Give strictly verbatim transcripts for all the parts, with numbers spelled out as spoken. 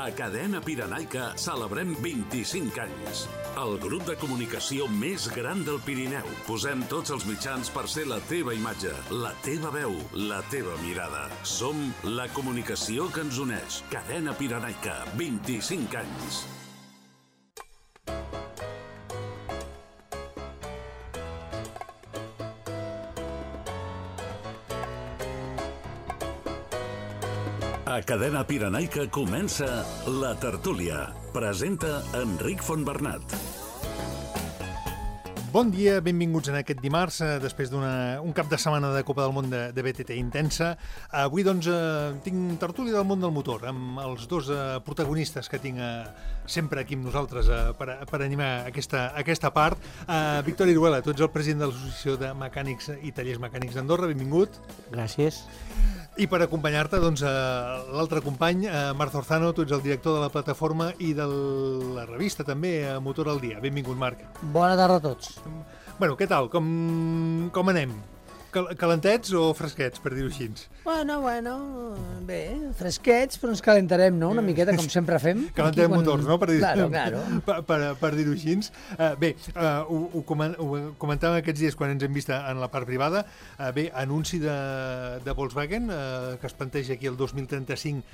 A Cadena Pirenaica celebrem vint-i-cinc anys. El grup de comunicació més gran del Pirineu. Posem tots els mitjans per ser la teva imatge, la teva veu, la teva mirada. Som la comunicació que ens uneix. Cadena Pirenaica, vint-i-cinc anys. A Cadena Pirenaica comença La Tertúlia. Presenta Enric Fontbernat. Bon dia, benvinguts en aquest dimarts, després d'un cap de setmana de Copa del Món de, de B T T intensa. Avui, doncs, eh, tinc tertúlia del món del motor, amb els dos eh, protagonistes que tinc eh, sempre aquí amb nosaltres eh, per, per animar aquesta, aquesta part. Eh, Víctor Iruela, tu ets el president de l'Associació de Mecànics i Tallers Mecànics d'Andorra, benvingut. Gràcies. I per acompanyar-te, doncs, eh, l'altre company, eh, Marc Zorzano, tu ets el director de la plataforma i de la revista, també, eh, Motor al Dia. Benvingut, Marc. Bona tarda a tots. Bueno, què tal? Com, com anem? Cal calentets o fresquets, per dir-ho així? Bueno, bueno, bé, fresquets, però ens calentarem, no?, una miqueta, com sempre fem. Calentem quan... motors, no?, per dir-ho claro, claro. per, per, per dir així. Uh, bé, uh, ho, ho, coment, ho comentàvem aquests dies quan ens hem vist en la part privada. Uh, bé, anunci de, de Volkswagen, uh, que es planteja aquí el dos mil trenta-cinc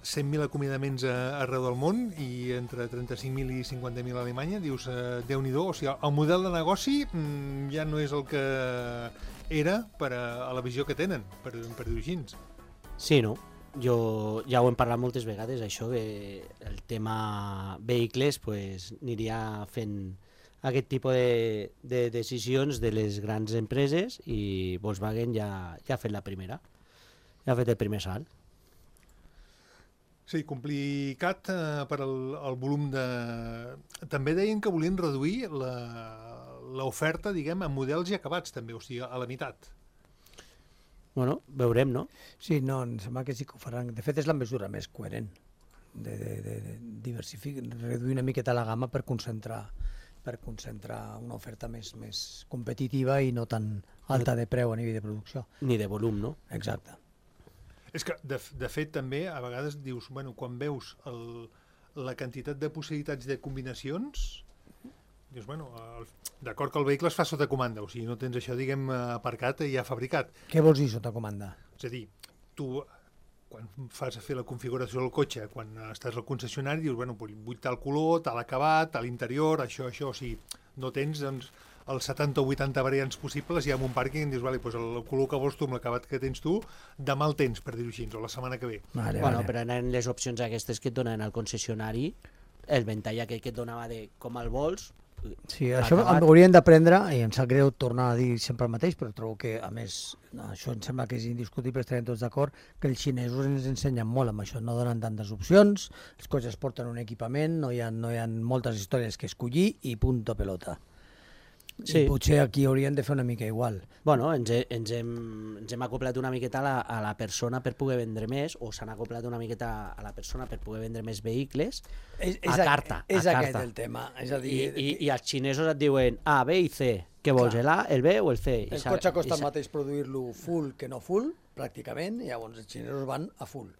cent mil acomiadaments arreu del món i entre trenta-cinc mil i cinquanta mil a Alemanya. Dius, eh, Déu-n'hi-do, o sigui, el model de negoci mm, ja no és el que era per a, a la visió que tenen, per, per dir-ho així. Sí, no? Jo ja ho hem parlat moltes vegades, això, que el tema vehicles pues, aniria fent aquest tipus de, de decisions de les grans empreses i Volkswagen ja, ja ha fet la primera, ja ha fet el primer salt. Sí, complicat eh, per el, el volum de... També deien que volien reduir l'oferta, diguem, en models ja acabats, també, o sigui, a la meitat. Bueno, veurem, no? Sí, no, em sembla que sí que ho faran. De fet, és la mesura més coherent de, de, de, de diversificar, reduir una miqueta la gamma per concentrar per concentrar una oferta més, més competitiva i no tan alta de preu a nivell de producció. Ni de volum, no? Exacte. És que, de, de fet, també, a vegades dius, bueno, quan veus el, la quantitat de possibilitats de combinacions, dius, bueno, d'acord que el vehicle es fa sota comanda, o sigui, no tens això, diguem, aparcat i ja fabricat. Què vols dir sota comanda? És a dir, tu, quan fas a fer la configuració del cotxe, quan estàs al concessionari, dius, bueno, vull tal color, tal acabat, tal interior, això, això, o sigui, no tens, doncs, els setanta o vuitanta variants possibles i amb un pàrquing dius, vale, doncs el color que vols tu amb l'acabat que tens tu, demà el tens, per dir-ho així, o la setmana que ve. Vale, bueno, vale. però en les opcions aquestes que et donen al concessionari, el ventall aquell que et donava de com el vols... Sí, això acabat... hauríem d'aprendre, i em sap greu tornar a dir sempre el mateix, però trobo que, a més, això em sembla que és indiscutible, estarem tots d'acord, que els xinesos ens ensenyen molt amb això, no donen tantes opcions, els cotxes porten un equipament, no hi ha, no hi ha moltes històries que escollir i punto pelota. Sí. I potser aquí haurien de fer una mica igual. Bueno, ens, he, ens, hem, ens hem acoplat una miqueta a la, a la persona per poder vendre més, o s'han acoplat una miqueta a la persona per poder vendre més vehicles és, és a carta. És a aquest carta. el tema. És a dir, I, i, I els xinesos et diuen A, B i C. Què vols, l'A, el B o el C? El cotxe costa el mateix produir-lo full que no full, pràcticament, i llavors els xinesos van a full.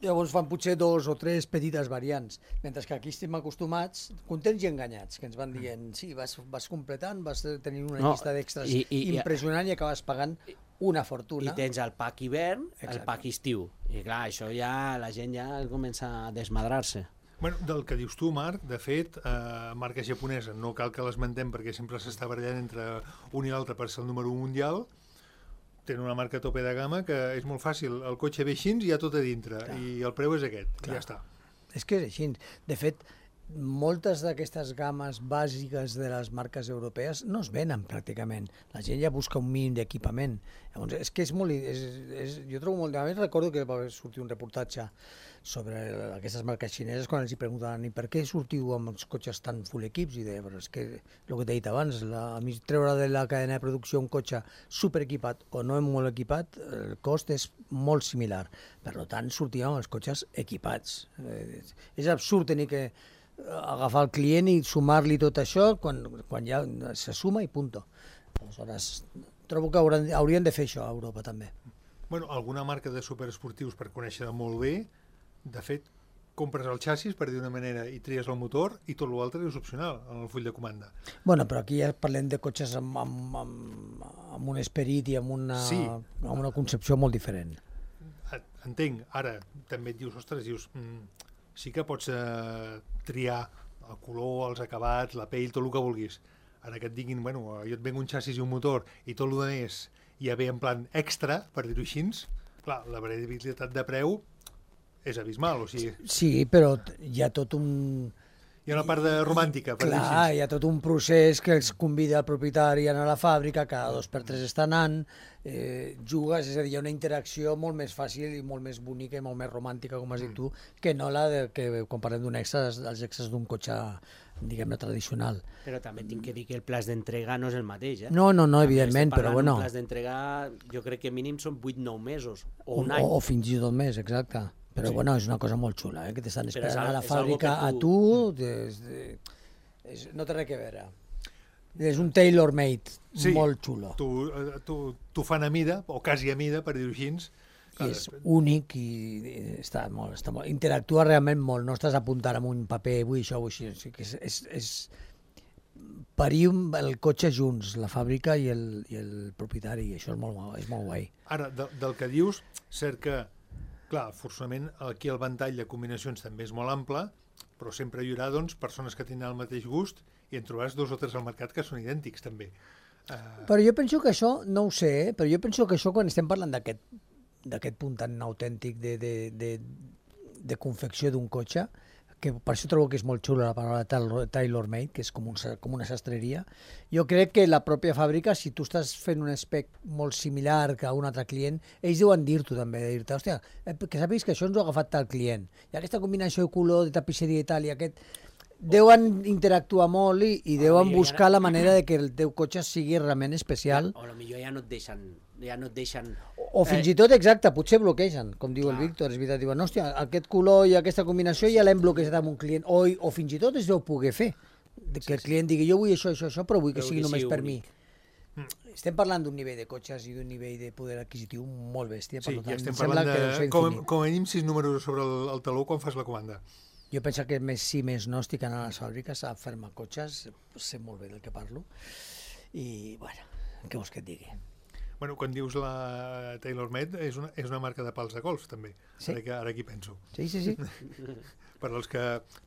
Llavors fan potser dos o tres petites variants, mentre que aquí estem acostumats, contents i enganyats, que ens van dient, sí, vas, vas completant, vas tenir una no, llista d'extras i, i, impressionant i acabes pagant una fortuna. I tens el pack hivern, exacte, el pack estiu. I clar, això ja, la gent ja comença a desmadrar-se. Bueno, del que dius tu, Marc, de fet, eh, marca japonesa, no cal que l'esmentem perquè sempre s'està barallant entre un i l'altre per ser el número un mundial. Tenen una marca a tope de gamma que és molt fàcil, el cotxe ve així i hi ha tot a dintre, clar, i el preu és aquest, clar, i ja està. És que és així. De fet, moltes d'aquestes gammes bàsiques de les marques europees no es venen pràcticament. La gent ja busca un mínim d'equipament. Llavors, és que és molt... És, és, jo trobo molt... A més, recordo que va sortir un reportatge sobre aquestes marques xineses quan els hi preguntaven i per què sortiu amb els cotxes tan full equips? I deia, però és que, el que t'he dit abans, la, a mi treure de la cadena de producció un cotxe superequipat o no molt equipat, el cost és molt similar. Per tant, sortíem amb els cotxes equipats. Eh, és absurd tenir que agafar el client i sumar-li tot això quan, quan ja se suma i punto. Aleshores, trobo que hauran, haurien de fer això a Europa també. Bueno, alguna marca de superesportius per conèixer molt bé, de fet, compres el xassis, per dir d'una manera, i tries el motor, i tot l'altre és opcional en el full de comanda. Bueno, però aquí ja parlem de cotxes amb, amb, amb, amb un esperit i amb una, Sí. amb una concepció molt diferent. Entenc, ara també et dius, ostres, dius, mm, sí que pots eh, triar el color, els acabats, la pell, tot el que vulguis. Ara que et diguin, bueno, jo et venc un xassis i un motor i tot el que més ja ve en plan extra, per dir-ho així, clar, la variabilitat de preu és abismal, o sigui, Sí, però hi ha tot un... hi ha una part de romàntica, per dir-ho Clar, així. hi ha tot un procés que els convida el propietari a anar a la fàbrica, cada dos per tres està anant, eh, jugues, és a dir, hi ha una interacció molt més fàcil i molt més bonica i molt més romàntica, com has dit tu, que no la de, que quan parlem d'un extra, els extras d'un cotxe, diguem-ne, tradicional. Però també tinc que dir que el plaç d'entrega no és el mateix, eh? No, no, no, També evidentment, estem però parlant bueno... Un plaç d'entrega, jo crec que mínim són vuit nou mesos, o O, un any. o fins i tot més, exacte. Però Sí. bueno, és una cosa molt xula, eh? Que t'estan Però és esperant al- a la és algo fàbrica que a tu- tu, des de... és, no té res a veure. És un tailor-made Sí. molt xulo. Tu, eh, tu, tu fan a mida, o quasi a mida, per dir-ho així. I és únic i, i està molt, està molt... Interactua realment molt, no estàs apuntant amb un paper, vull això, vull així. O sigui que és, és, és parir un- el cotxe junts, la fàbrica i el, i el propietari, i això és molt, és molt guai. Ara, de, del que dius, cert que, clar, forçament aquí el ventall de combinacions també és molt ample, però sempre hi haurà doncs, persones que tenen el mateix gust i en trobaràs dos o tres al mercat que són idèntics també. Uh, Però jo penso que això, no ho sé, eh? però jo penso que això quan estem parlant d'aquest d'aquest punt tan autèntic de, de, de, de confecció d'un cotxe, que per això trobo que és molt xula la paraula tailor-made, que és com, un, com una sastreria. Jo crec que la pròpia fàbrica, si tu estàs fent un spec molt similar que a un altre client, ells deuen dir-t'ho també, de dir-te, hòstia, que sàpigues que això ens ho ha agafat tal client. I aquesta combinació de color, de tapisseria i tal, i aquest... Deuen interactuar molt i, i deuen millor buscar ja- la manera de que el teu cotxe sigui realment especial. O potser ja no et deixen... Ja no et deixen... O fins i tot, exacte, potser bloquegen, com diu el Clar. Víctor, és veritat, diuen, hòstia, aquest color i aquesta combinació ja l'hem bloquejat amb un client, o, o fins i tot es deu poder fer, de que el client digui, jo vull això, això, això, però vull que Però sigui que només sigui per mi. únic. Estem parlant d'un nivell de cotxes i d'un nivell de poder adquisitiu molt bèstia, per sí, tant, ja estem em sembla parlant que deu ser de com, infinit. com a mínim sis números sobre el, el taló quan fas la comanda. Jo penso que més sí, més no, estic anant a les fàbriques a fer-me cotxes, sé molt bé del que parlo, i, bueno, què vols que et digui? Bueno, quan dius la TaylorMade, és una, és una marca de pals de golf, també. Sí. Ara, que, ara aquí penso. Sí, sí, sí. Per als que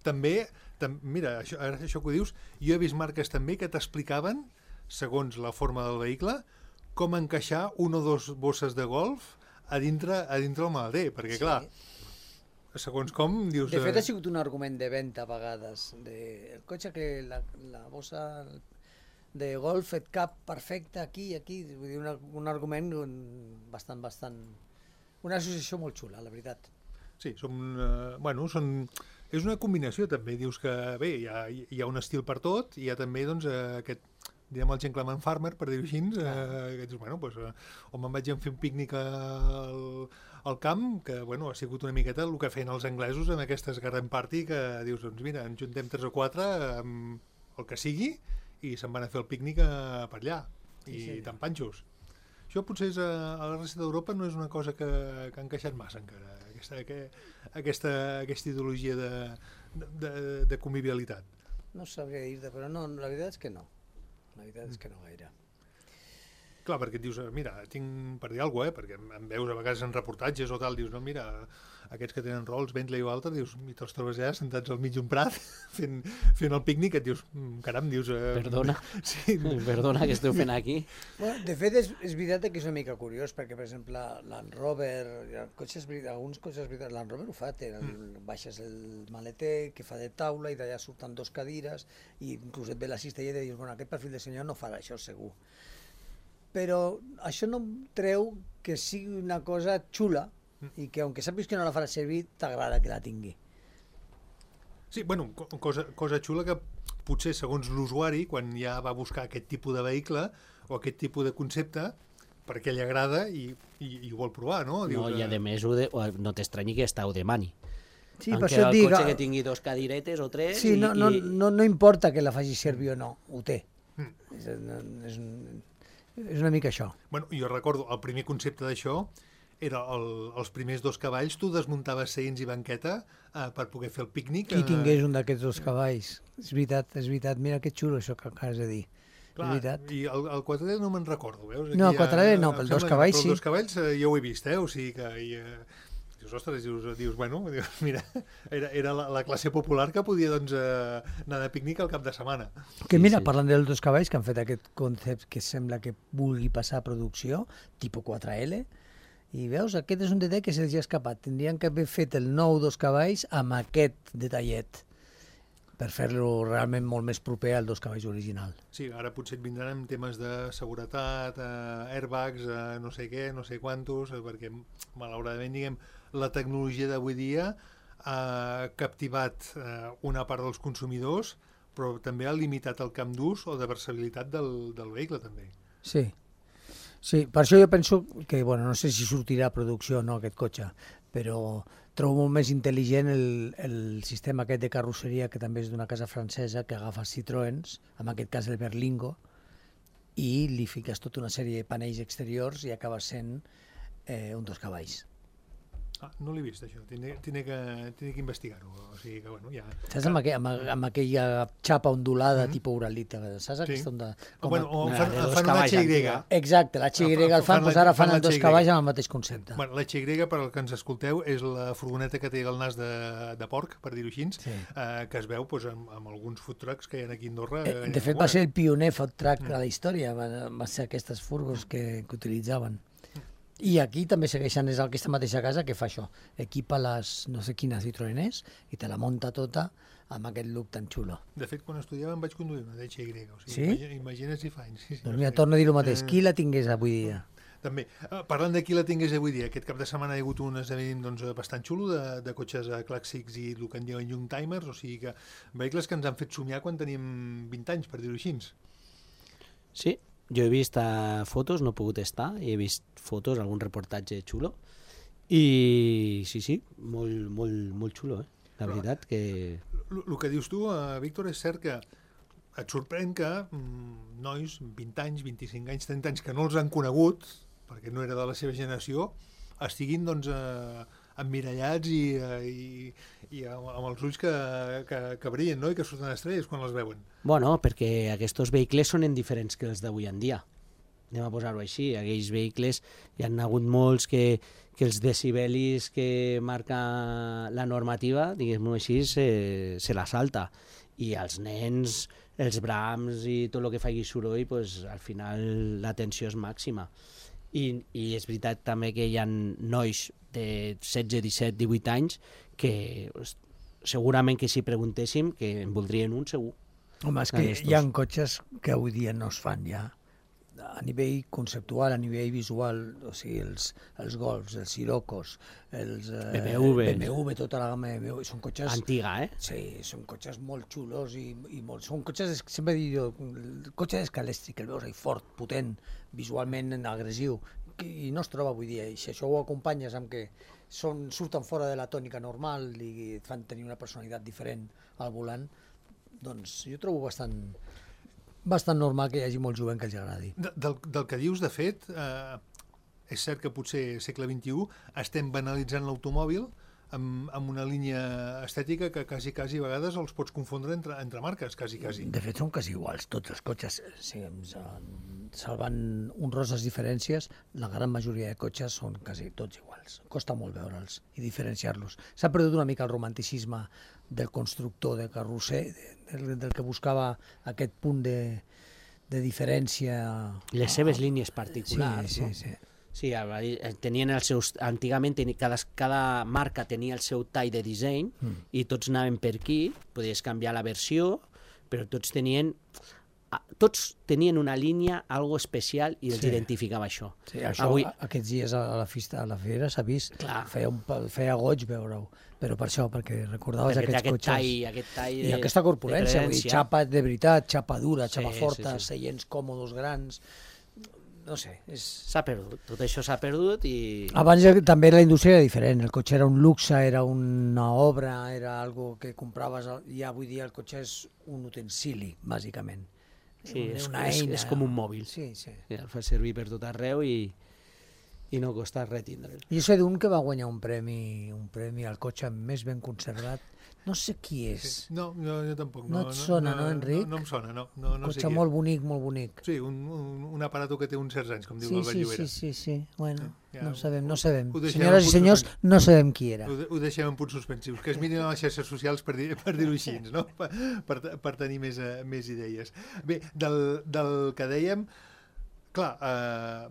també, tam, mira, això, ara això que ho dius, jo he vist marques també que t'explicaven, segons la forma del vehicle, com encaixar una o dos bosses de golf a dintre, a dintre el maleter, perquè Sí. clar, segons com dius... De fet, eh, ha sigut un argument de venda a vegades. De... El cotxe que la, la bossa de golf et cap perfecte aquí i aquí. Vull dir, una, un argument bastant, bastant... Una associació molt xula, la veritat. Sí, són, eh, bueno, són, és una combinació també, dius que bé, hi ha, hi ha un estil per tot, i hi ha també doncs, eh, aquest, diguem el gentleman farmer, per dir-ho així, eh, que dius, bueno, doncs, eh, o me'n vaig a fer un pícnic al, al camp, que bueno, ha sigut una miqueta el que feien els anglesos en aquestes garden party, que dius, doncs mira, ens juntem tres o quatre, amb el que sigui, i se'n van a fer el pícnic a, per allà, i Sí, sí. tan panxos. Això potser és a, a la resta d'Europa no és una cosa que, que ha encaixat massa encara, aquesta, que, aquesta, aquesta ideologia de, de, de convivialitat. No sabria dir-te, però no, la veritat és que no. La veritat és que no gaire. Clar, perquè et dius, mira, tinc per dir alguna cosa, eh? Perquè em veus a vegades en reportatges o tal, dius, no, mira, aquests que tenen rols, Bentley o altre, dius, i te'ls trobes allà sentats al mig d'un prat fent, fent el pícnic, et dius, mm, caram, dius... Eh, Perdona. Sí, Perdona, que esteu fent aquí? Bueno, de fet, és, és veritat que és una mica curiós, perquè, per exemple, Land Rover, cotxes, alguns cotxes, Land Rover ho fa, té, el, baixes el maleter que fa de taula i d'allà surten dos cadires i inclús et ve l'assistent i et dius, bueno, aquest perfil de senyor no farà això segur. Però això no treu que sigui una cosa xula i que, aunque sàpigues que no la farà servir, t'agrada que la tingui. sí, bueno, co- cosa, cosa xula que potser segons l'usuari, quan ja va buscar aquest tipus de vehicle o aquest tipus de concepte, perquè li agrada i, i, i ho vol provar, no? No, i a eh, més ho de, o no t'estranyi que està ho demani. Sí, Em per queda això et el dic... cotxe que tingui dos cadiretes o tres Sí, i, no, no, i... no, no importa que la faci servir o no, ho té. Mm. És, és, un- és una mica això. Bueno, jo recordo, el primer concepte d'això era el, els primers dos cavalls, tu desmuntaves seients i banqueta eh, per poder fer el pícnic. Qui eh, tingués un d'aquests dos cavalls. És veritat, és veritat. Mira que xulo això que acabes de dir. Clar, és veritat. I el, el quatralet no me'n recordo, veus? No, Aquí quatralet no, em però els sembla dos que- cavalls però sí. Els dos cavalls eh, ja ho he vist, eh? O sigui que... I, eh, dius, ostres, dius, dius bueno, dius, mira, era, era la, la classe popular que podia doncs, eh, anar de pícnic al cap de setmana. Que Sí, mira, sí. parlant dels dos cavalls que han fet aquest concept que sembla que vulgui passar a producció, tipus quatre L, i veus, aquest és un detall que se'ls ha escapat. Tindrien que haver fet el nou dos cavalls amb aquest detallet per fer-lo realment molt més proper al dos cavalls original. Sí, ara potser et vindran amb temes de seguretat, eh, airbags, eh, no sé què, no sé quantos, eh, perquè malauradament, diguem, la tecnologia d'avui dia ha captivat eh, una part dels consumidors, però també ha limitat el camp d'ús o de versatilitat del, del vehicle, també. Sí. Sí, per això jo penso que, bueno, no sé si sortirà a producció o no aquest cotxe, però trobo molt més intel·ligent el, el sistema aquest de carrosseria que també és d'una casa francesa que agafa Citroëns, en aquest cas el Berlingo, i li fiques tota una sèrie de panells exteriors i acaba sent eh, un dos cavalls. Ah, no l'he vist, això. Tindré, tindré que, tindré que investigar-ho. O sigui que, bueno, ja... Saps amb, aqu amb, amb aquella xapa ondulada, Mhm. tipus uralita, saps aquesta onda? O, bueno, o a- fan, de dos fan una cavalls H Y. antiga. Exacte, l'H Y Ah, el fan, fan doncs la- ara fan fan els dos l'H Y. cavalls amb el mateix concepte. Bueno, l'H Y, per al que ens escolteu, és la furgoneta que té el nas de, de porc, per dir-ho així, Sí. eh, que es veu doncs, amb, amb alguns food trucks que hi ha aquí a Andorra. Eh, eh, De fet, a va ser veure. el pioner food truck de la història, va, va ser aquestes furgos que, que utilitzaven. I aquí també segueixen, és aquesta mateixa casa que fa això. Equipa les no sé quines Citroën és i te la munta tota amb aquest look tan xulo. De fet, quan estudiava em vaig conduir una d'H Y. O sigui, Sí? imagina- Imagina't si fa anys. Sí, sí, Doncs no mira, sé. torno a dir el mateix. Eh, Qui la tingués avui dia? També, eh, parlant de qui la tingués avui dia, aquest cap de setmana hi ha hagut un esdeveniment doncs, bastant xulo de, de cotxes eh, clàssics i el que en diuen young timers, o sigui que vehicles que ens han fet somiar quan teníem vint anys, per dir-ho així. Sí, jo he vist uh, fotos, no he pogut estar, he vist fotos, algun reportatge xulo, i sí, sí, molt, molt, molt xulo, eh? La Però- veritat que... El que dius tu, eh, Víctor, és cert que et sorprèn que mm, nois, vint anys, vint-i-cinc anys, trenta anys, que no els han conegut, perquè no era de la seva generació, estiguin doncs, eh, emmirallats i, eh, i, i amb, amb els ulls que, que, que brillen, no? I que surten estrelles quan les veuen. Bueno, perquè aquests vehicles són diferents que els d'avui en dia. Anem a posar-ho així. Aquells vehicles hi han hagut molts que, que els decibelis que marca la normativa, diguem-ho així, se, se la salta. I els nens, els brams i tot el que faci soroll, pues, al final l'atenció és màxima. I, I és veritat també que hi ha nois de setze, disset, divuit anys que pues, segurament que si preguntéssim que en voldrien un segur. Home, és que hi ha cotxes que avui dia no es fan ja. A nivell conceptual, a nivell visual, o sigui, els, els Golfs, els Sirocos, els eh, B M W. B M W, tota la gamma de B M W, són cotxes... Antiga, eh? Sí, són cotxes molt xulos i, i molt... Són cotxes, sempre dic jo, el cotxe d'escalèstric, el veus ahí fort, potent, visualment agressiu, i no es troba avui dia. I si això ho acompanyes amb que són, surten fora de la tònica normal i et fan tenir una personalitat diferent al volant, doncs jo trobo bastant, bastant normal que hi hagi molt jovent que els agradi. De, del, del que dius, de fet, eh, és cert que potser segle vint-i-u estem banalitzant l'automòbil amb, amb una línia estètica que quasi, quasi a vegades els pots confondre entre, entre marques, quasi, quasi. De fet, són quasi iguals, tots els cotxes. Sí, salvant honroses diferències, la gran majoria de cotxes són quasi tots iguals. Costa molt veure'ls i diferenciar-los. S'ha perdut una mica el romanticisme del constructor, de carrosser, del, del que buscava aquest punt de, de diferència. Les seves línies particulars, sí, no? sí, sí. Sí, tenien els seus... Antigament teni, cada, cada marca tenia el seu tall de disseny mm. i tots anaven per aquí, podies canviar la versió, però tots tenien... Tots tenien una línia, algo especial, i els Sí. identificava això. Sí, això Avui, aquests dies a la, fista, a la fera s'ha vist, Clar. feia, un, pa- feia goig veure-ho, però per això, perquè recordaves perquè té aquests aquest cotxes. tall, aquest tall I de, aquesta corpulència, de vull dir, presència. xapa de veritat, xapa dura, Sí, xapa sí, forta, sí. seients còmodes grans, no sé, és... S'ha perdut, tot això s'ha perdut i... Abans ja- també la indústria era diferent, el cotxe era un luxe, era una obra, era algo que compraves, i avui dia el cotxe és un utensili, bàsicament. Sí, és, una és, eina. és com un mòbil. Sí, sí. Sí, el fa servir per tot arreu i, i no costa res tindre'l. Jo sé d'un que va guanyar un premi, un premi al cotxe més ben conservat. No sé qui és. Sí. No, no, jo tampoc. No et sona, no, Enric? No, no em sona, no. no, no Un sé cotxe qui molt és. bonic, molt bonic. Sí, un, un, un aparato que té uns certs anys, com diu Sí, el sí, Valllluvera. sí, sí, sí. Bueno, Ja, no sabem, no ho- sabem. ho deixem Senyores en i punts senyors, suspensius. no sabem qui era. Ho, de- ho deixem en punts suspensius, que es mirin a les xarxes socials per, dir, per dir-ho així, no? Per, per, per tenir més, eh, més idees. Bé, del, del que dèiem, clar, eh,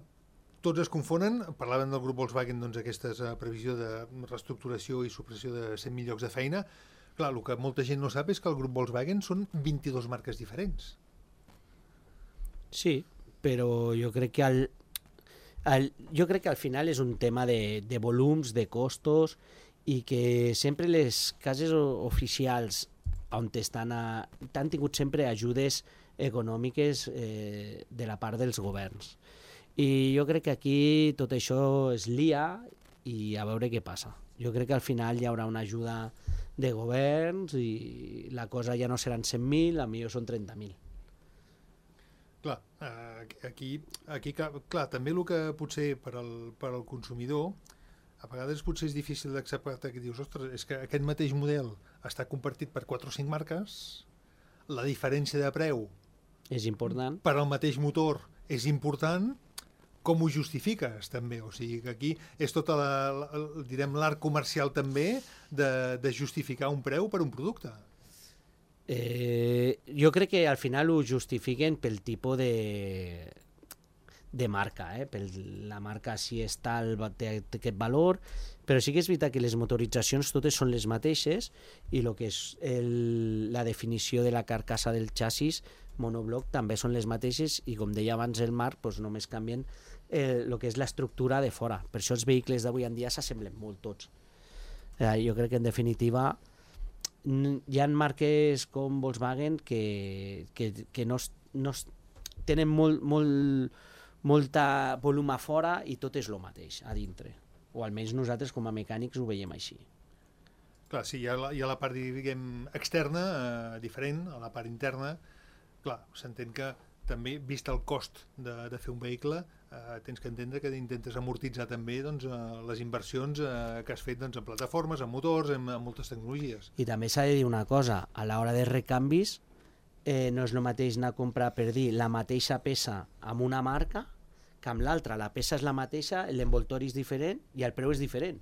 tots es confonen, parlaven del grup Volkswagen, doncs aquesta eh, previsió de reestructuració i supressió de cent mil llocs de feina. Clar, el que molta gent no sap és que el grup Volkswagen són vint-i-dues marques diferents. Sí, però jo crec que al, al, jo crec que al final és un tema de, de volums, de costos, i que sempre les cases o- oficials on estan a, han tingut sempre ajudes econòmiques eh, de la part dels governs. I jo crec que aquí tot això es lia i a veure què passa. Jo crec que al final hi haurà una ajuda de governs i la cosa ja no seran cent mil, a millor són trenta mil. Clar, eh, aquí, aquí, ca- clar, també el que potser per al, per al consumidor a vegades potser és difícil d'acceptar, que dius, ostres, és que aquest mateix model està compartit per quatre o cinc marques, la diferència de preu És important. per al mateix motor és important, com ho justifiques també? O sigui que aquí és tota la, la, direm, l'art comercial també de, de justificar un preu per un producte. Eh, jo crec que al final ho justifiquen pel tipus de, de marca, eh? Per la marca si és tal, va- té, té aquest valor, però sí que és veritat que les motoritzacions totes són les mateixes i el que és el, la definició de la carcassa del xassis monobloc també són les mateixes i com deia abans el Marc, doncs només canvien el que és l'estructura de fora. Per això els vehicles d'avui en dia s'assemblen molt tots. Eh, jo crec que en definitiva n- hi ha marques com Volkswagen que, que, que no, es- no es- tenen molt, molt, molta volum a fora i tot és el mateix a dintre. O almenys nosaltres com a mecànics ho veiem així. Clar, sí, hi ha la, hi ha la part, diguem, externa, eh, diferent, a la part interna. Clar, s'entén que també, vist el cost de, de fer un vehicle, eh, tens que entendre que intentes amortitzar també doncs, eh, les inversions eh, que has fet doncs, en plataformes, en motors, en, en moltes tecnologies. I també s'ha de dir una cosa, a l'hora de recanvis eh, no és el mateix anar a comprar, per dir, la mateixa peça amb una marca que amb l'altra. La peça és la mateixa, l'envoltori és diferent i el preu és diferent.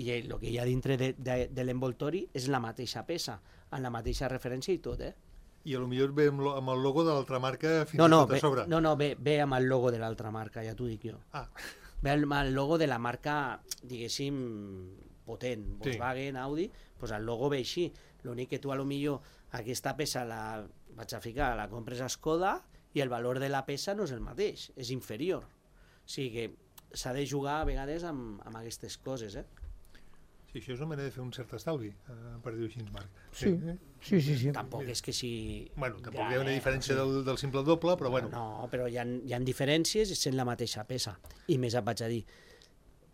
I el que hi ha dintre de, de, de l'envoltori és la mateixa peça, amb la mateixa referència i tot, eh? I a lo millor ve amb, lo, amb el logo de l'altra marca fins No, no, i tot a ve, sobre. no, no ve, ve amb el logo de l'altra marca, ja t'ho dic jo. Ah, Ve amb el logo de la marca, diguéssim, potent, Volkswagen, Audi, doncs el logo ve així. L'únic que tu a lo millor aquesta peça la vaig a ficar, la compres a Skoda i el valor de la peça no és el mateix, és inferior. O sigui que s'ha de jugar a vegades amb, amb aquestes coses, eh? sí, això és una manera de fer un cert estalvi, eh, per dir-ho així, Marc. Sí, sí, sí. sí. Tampoc és que si... Bueno, tampoc Ja, hi ha una eh, diferència sí. del, del simple al doble, però bueno. No, però hi ha, hi ha diferències sent la mateixa peça. I més et vaig a dir,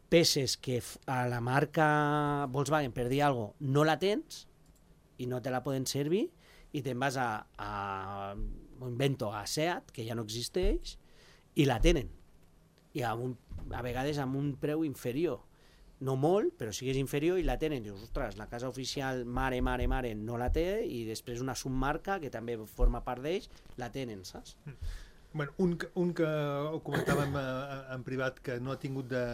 peces que f- a la marca Volkswagen, per dir alguna cosa, no la tens i no te la poden servir i te'n vas a, a m'ho invento, a Seat, que ja no existeix, i la tenen. I amb un, a vegades amb un preu inferior. No molt, però sí que és inferior i la tenen. Dius, ostres, la casa oficial mare, mare, mare no la té i després una submarca que també forma part d'ells la tenen, saps? Bueno, un, que- un que ho comentàvem eh, en privat que no ha tingut de,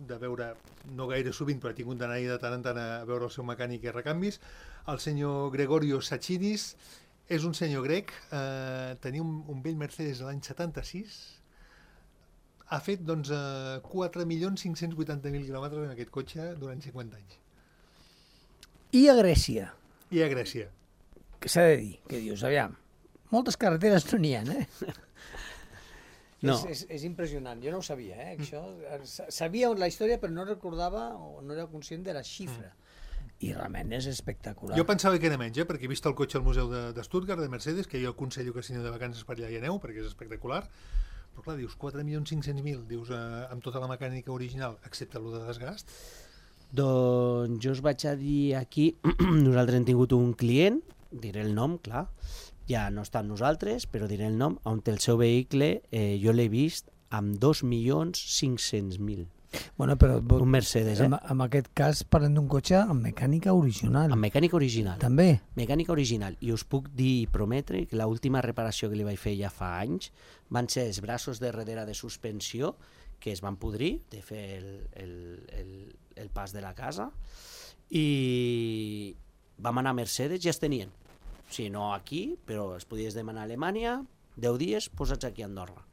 de veure, no gaire sovint, però ha tingut d'anar-hi de tant en tant a veure el seu mecànic i recanvis, el senyor Gregorio Sachinis, és un senyor grec, eh, tenia un, un vell Mercedes de l'any setanta-sis, ha fet doncs, eh, quatre milions cinc-cents vuitanta mil quilòmetres en aquest cotxe durant cinquanta anys. I a Grècia, I a Grècia. que s'ha de dir, que dius, aviam, moltes carreteres no n'hi ha, eh? No. És, és, és impressionant, jo no ho sabia, eh? Això, sa- sabia la història però no recordava o no era conscient de la xifra. I realment és espectacular. Jo pensava que era menys, eh, perquè he vist el cotxe al museu de, de Stuttgart, de Mercedes, que jo aconsello que si aneu de vacances per allà hi aneu, perquè és espectacular, però clar, dius quatre milions cinc-cents mil, dius, eh, amb tota la mecànica original, excepte el de desgast. Doncs jo us vaig a dir aquí, nosaltres hem tingut un client, diré el nom, clar, ja no està amb nosaltres, però diré el nom, on el seu vehicle eh, jo l'he vist amb dos milions cinc-cents mil. Bueno, però Un Mercedes, eh? en, en aquest cas parlem d'un cotxe amb mecànica original. Amb mecànica original. També. Mecànica original. I us puc dir i prometre que l'última reparació que li vaig fer ja fa anys van ser els braços de darrere de suspensió que es van podrir de fer el, el, el, el pas de la casa i vam anar a Mercedes, ja es tenien. O sigui, no aquí, però es podies demanar a Alemanya, deu dies posats aquí a Andorra.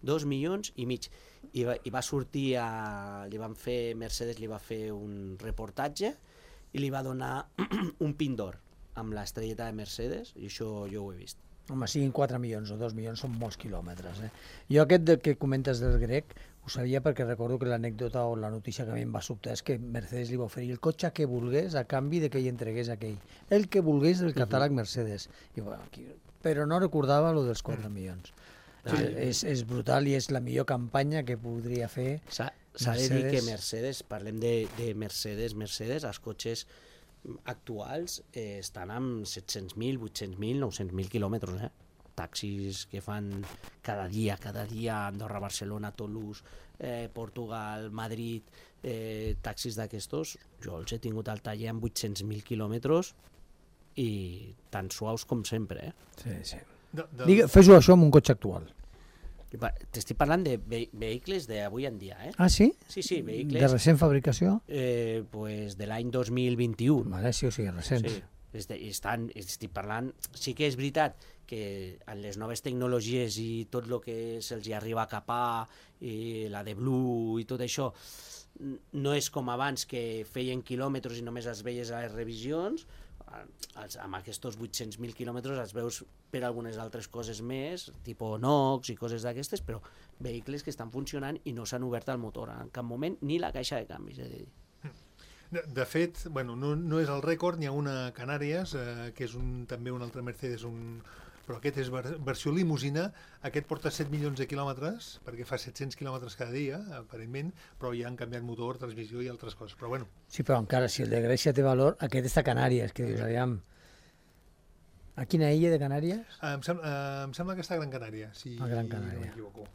Dos milions i mig. I va, i va sortir a... Li van fer, Mercedes li va fer un reportatge i li va donar un pin d'or amb l'estrelleta de Mercedes, i això jo ho he vist. Home, siguin quatre milions o dos milions, són molts quilòmetres. Eh? Jo aquest del que comentes del grec ho sabia perquè recordo que l'anècdota o la notícia que a mi em va sobtar és que Mercedes li va oferir el cotxe que volgués a canvi de que ell entregués aquell. El que volgués del catàleg Mercedes. I, bueno, aquí, però no recordava lo dels quatre milions. Sí, és, és brutal i és la millor campanya que podria fer S'ha de dir que Mercedes, parlem de, de Mercedes, Mercedes, els cotxes actuals eh, estan amb set-cents mil, vuit-cents mil, nou-cents mil quilòmetres, eh? Taxis que fan cada dia, cada dia, Andorra, Barcelona, Toulouse, eh, Portugal, Madrid, eh, taxis d'aquestos, jo els he tingut al taller amb vuit-cents mil quilòmetres i tan suaus com sempre, eh? Sí, sí. De, de... Digue, fes-ho això amb un cotxe actual. T'estic parlant de ve vehicles d'avui en dia, eh? Ah, sí? Sí, sí, vehicles... De recent fabricació? Eh, pues de l'any dos mil vint-i-u. Vale, sí, o sigui, recents. Sí, este, estan, estic parlant... Sí que és veritat que en les noves tecnologies i tot el que se'ls arriba a capar, i la de Blue i tot això, no és com abans que feien quilòmetres i només els veies a les revisions. Els, amb aquests vuit-cents mil quilòmetres els veus per algunes altres coses més, tipus NOx i coses d'aquestes, però vehicles que estan funcionant i no s'han obert al motor en cap moment, ni la caixa de canvis, és a dir. De, de fet, bueno, no, no és el rècord, n'hi ha una a Canàries, eh, que és un, també un altre Mercedes, un, però aquest és ver, versió limusina, aquest porta set milions de quilòmetres, perquè fa set-cents quilòmetres cada dia, aparentment, però ja han canviat motor, transmissió i altres coses, però bueno. Sí, però encara, si el de Grècia té valor, aquest està a Canàries, que dius, aviam... A quina illa de Canàries? Eh, em, sembla, eh, em sembla que està a Gran Canària, si a Gran Canària. no m'equivoco.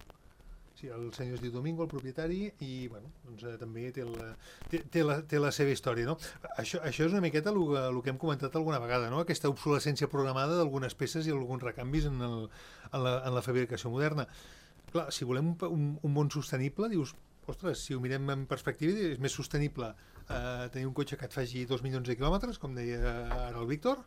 Sí, el senyor es diu Domingo, el propietari, i bueno, doncs, eh, també té la, té, té, la, té la seva història, no? Això, això és una miqueta el que hem comentat alguna vegada, no? Aquesta obsolescència programada d'algunes peces i alguns recanvis en, el, en, la, en la fabricació moderna. Clar, si volem un, un, un món sostenible, dius, ostres, si ho mirem en perspectiva, és més sostenible eh, tenir un cotxe que et faci dos milions de quilòmetres, com deia ara el Víctor,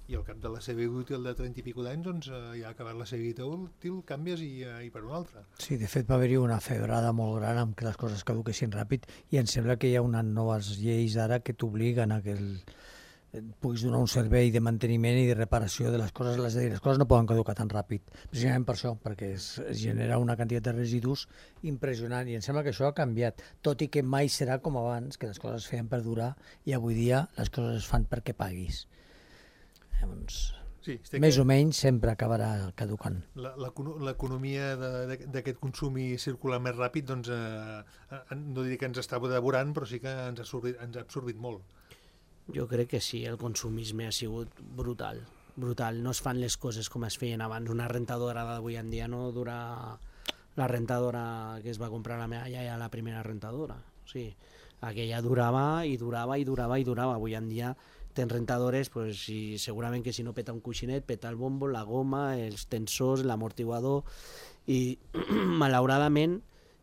i al cap de la seva vida útil de trenta i pico d'anys, doncs eh, ja ha acabat la seva vida útil, canvies i, eh, i per una altra. Sí, de fet va haver-hi una febrada molt gran amb que les coses caduquessin ràpid i em sembla que hi ha unes noves lleis ara que t'obliguen a que el, puguis donar un servei de manteniment i de reparació de les coses, és a dir, les coses no poden caducar tan ràpid, precisament per això, perquè es, es genera una quantitat de residus impressionant i em sembla que això ha canviat, tot i que mai serà com abans, que les coses es feien per durar i avui dia les coses es fan perquè paguis. Llavors, sí, més que... o menys sempre acabarà caducant. L'economia d'aquest consum i circular més ràpid, doncs, eh, no diré que ens està devorant, però sí que ens ha absorbit, ens ha absorbit molt. Jo crec que sí, el consumisme ha sigut brutal, brutal. No es fan les coses com es feien abans. Una rentadora d'avui en dia no dura la rentadora que es va comprar la meva iaia, la primera rentadora. O sigui, aquella durava i durava i durava i durava. Avui en dia tens rentadores, pues, i segurament que si no peta un coixinet, peta el bombo, la goma, els tensors, l'amortiguador, i malauradament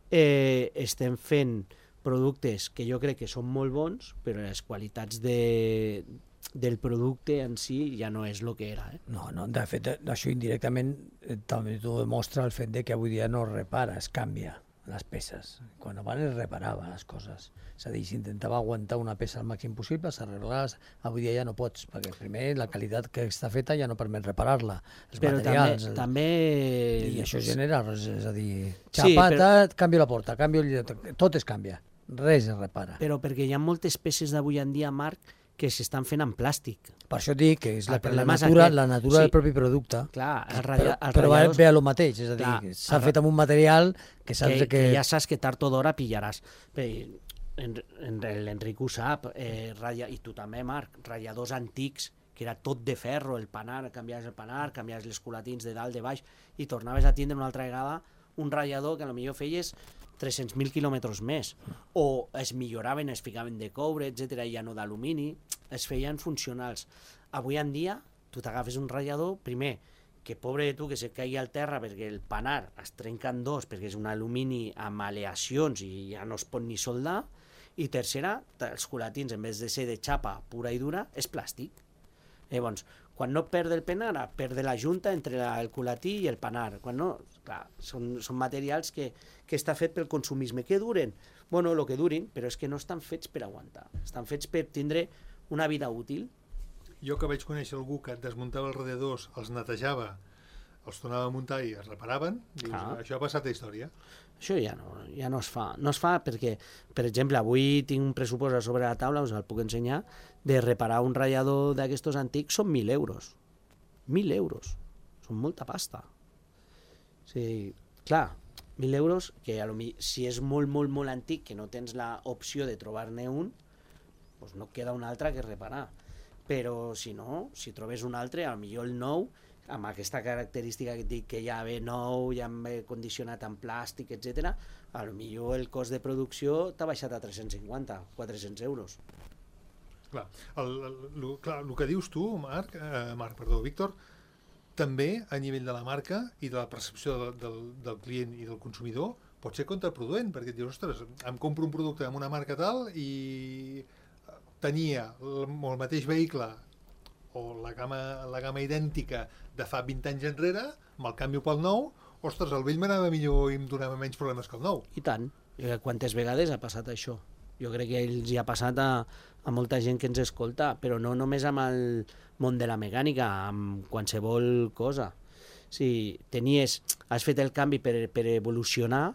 eh, estem fent productes que jo crec que són molt bons, però les qualitats de, del producte en si ja no és el que era. Eh? No, no, de fet, això indirectament eh, també t'ho demostra el fet de que avui dia no repara, es canvia les peces. Quan abans es reparava les coses. És a dir, s'intentava aguantar una peça al màxim possible, s'arreglaves, avui dia ja no pots, perquè primer la qualitat que està feta ja no permet reparar-la. Els però materials... També, també... I això genera, és a dir, xapata, sí, però... canvio la porta, canvio el... tot es canvia, res es repara. Però perquè hi ha moltes peces d'avui en dia, Marc, que s'estan fent en plàstic. Per això dic que és la, la natura, la natura sí, del propi producte. Clar, el radia, però, però va bé a lo mateix, és a dir, s'ha fet amb un material que saps que, que... que ja saps que tard o d'hora pillaràs. L'Enric ho sap, eh, radia, i tu també, Marc, radiadors antics, que era tot de ferro, el panar, canviaves el panar, canviaves les culatins de dalt, de baix, i tornaves a tindre una altra vegada un radiador que potser feies tres-cents mil quilòmetres més, o es milloraven, es ficaven de coure, etcètera, i ja no d'alumini, es feien funcionals. Avui en dia, tu t'agafes un ratllador, primer, que pobre de tu que se caigui al terra perquè el panar es trenca en dos perquè és un alumini amb aleacions i ja no es pot ni soldar, i tercera, els culatins, en vez de ser de xapa pura i dura, és plàstic. Llavors, quan no perd el penar, perd la junta entre la, el culatí i el panar. Quan no, clar, són, són materials que, que està fet pel consumisme. Que duren? Bueno, el que durin, però és que no estan fets per aguantar. Estan fets per tindre una vida útil. Jo que vaig conèixer algú que desmuntava els radiadors, els netejava, els tornava a muntar i es reparaven, dius, ah. això ha passat a història. Això ja no, ja no es fa. No es fa perquè, per exemple, avui tinc un pressupost a sobre la taula, us el puc ensenyar, de reparar un ratllador d'aquestos antics són mil euros. Mil euros. Són molta pasta. O sigui, clar, mil euros, que a lo mi, si és molt, molt, molt antic, que no tens l'opció de trobar-ne un, doncs no queda un altre que reparar. Però si no, si trobes un altre, a lo millor el nou, amb aquesta característica que et dic que ja ve nou, ja ve condicionat en plàstic, etcètera, a lo millor el cost de producció t'ha baixat a tres-cents cinquanta, quatre-cents euros. Clar, el, el, el, clar, el que dius tu, Marc, eh, Marc, perdó, Víctor, també a nivell de la marca i de la percepció del, del, del client i del consumidor pot ser contraproduent, perquè et dius, ostres, em compro un producte amb una marca tal i tenia el, el mateix vehicle o la gamma, la gamma idèntica de fa vint anys enrere, me'l canvio pel nou, ostres, el vell m'anava millor i em donava menys problemes que el nou. I tant. Quantes vegades ha passat això? Jo crec que ells hi ha passat a, a molta gent que ens escolta, però no només amb el món de la mecànica, amb qualsevol cosa. Si tenies, has fet el canvi per, per evolucionar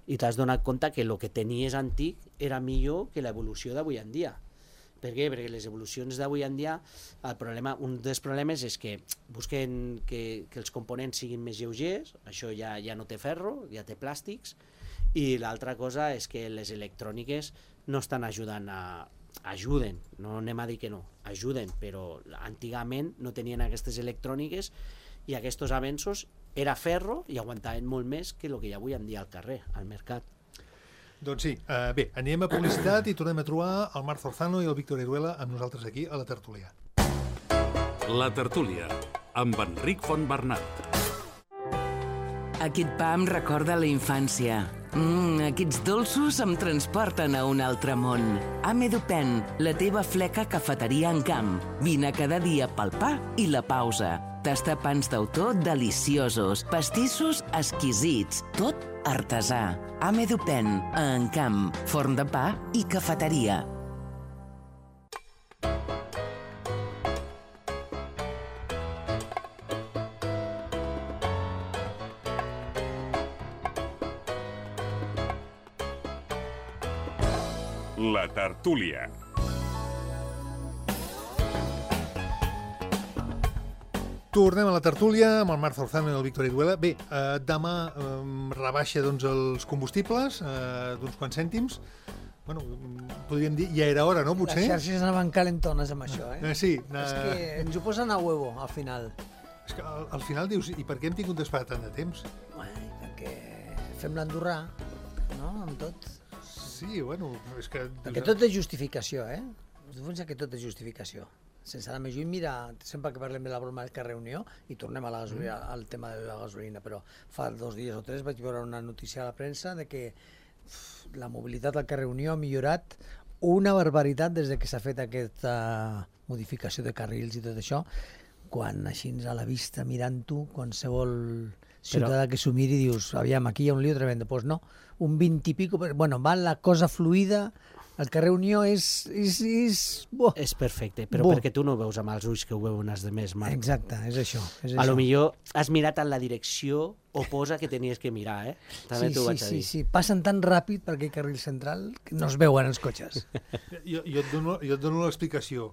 i t'has donat compte que el que tenies antic era millor que l'evolució d'avui en dia. Per què? Perquè les evolucions d'avui en dia, el problema, un dels problemes és que busquen que, que els components siguin més lleugers, això ja, ja no té ferro, ja té plàstics, i l'altra cosa és que les electròniques no estan ajudant a... ajuden, no anem a dir que no, ajuden, però antigament no tenien aquestes electròniques i aquests avenços era ferro i aguantaven molt més que el que hi ha avui en dia al carrer, al mercat. Doncs sí, uh, bé, anem a publicitat i tornem a trobar el Marc Zorzano i el Víctor Iruela amb nosaltres aquí a la tertúlia. La tertúlia, amb Enric Fontbernat. Aquest pa em recorda la infància. Mm, aquests dolços em transporten a un altre món. Amedupen, la teva fleca cafeteria en camp. Vine cada dia pel pa i la pausa. Tastar pans d'autor deliciosos, pastissos exquisits, tot artesà. Amedupen, a Encamp, forn de pa i cafeteria. La tertúlia. Tornem a la tertúlia amb el Marc Zorzano i el Víctor Iruela. Bé, eh, demà eh, rebaixa doncs, els combustibles eh, d'uns quants cèntims. Bueno, podríem dir, ja era hora, no, potser? Les xarxes anaven calentones amb això, eh? eh sí. Eh... És que ens ho posen a huevo, al final. És que al, al final dius, i per què hem tingut d'esperar tant de temps? Ai, perquè fem l'andorrà, no?, amb tot. Sí, bueno, és que... Perquè tot és justificació, eh? Tu pensa que tot és justificació. Sense anar més lluny, mira, sempre que parlem de la broma del carrer Unió, i tornem a la gasolina, mm. al tema de la gasolina, però fa dos dies o tres vaig veure una notícia a la premsa de que uf, la mobilitat al carrer Unió ha millorat una barbaritat des de que s'ha fet aquesta modificació de carrils i tot això, quan així a la vista, mirant-ho, qualsevol ciutadà però... que s'ho miri, dius, aviam, aquí hi ha un lío tremendo. Doncs pues no, un vint i pico, bueno, va la cosa fluida. El carrer Unió és... És, és, bo. És perfecte, però bo. Perquè tu no ho veus amb els ulls que ho veuen els demés, Marc. Exacte, és això. És a això. lo millor has mirat en la direcció oposa que tenies que mirar, eh? També sí, t'ho sí, vaig a dir. Sí, sí, passen tan ràpid per aquell carril central que no es veuen els cotxes. jo, jo et dono, jo et dono l'explicació.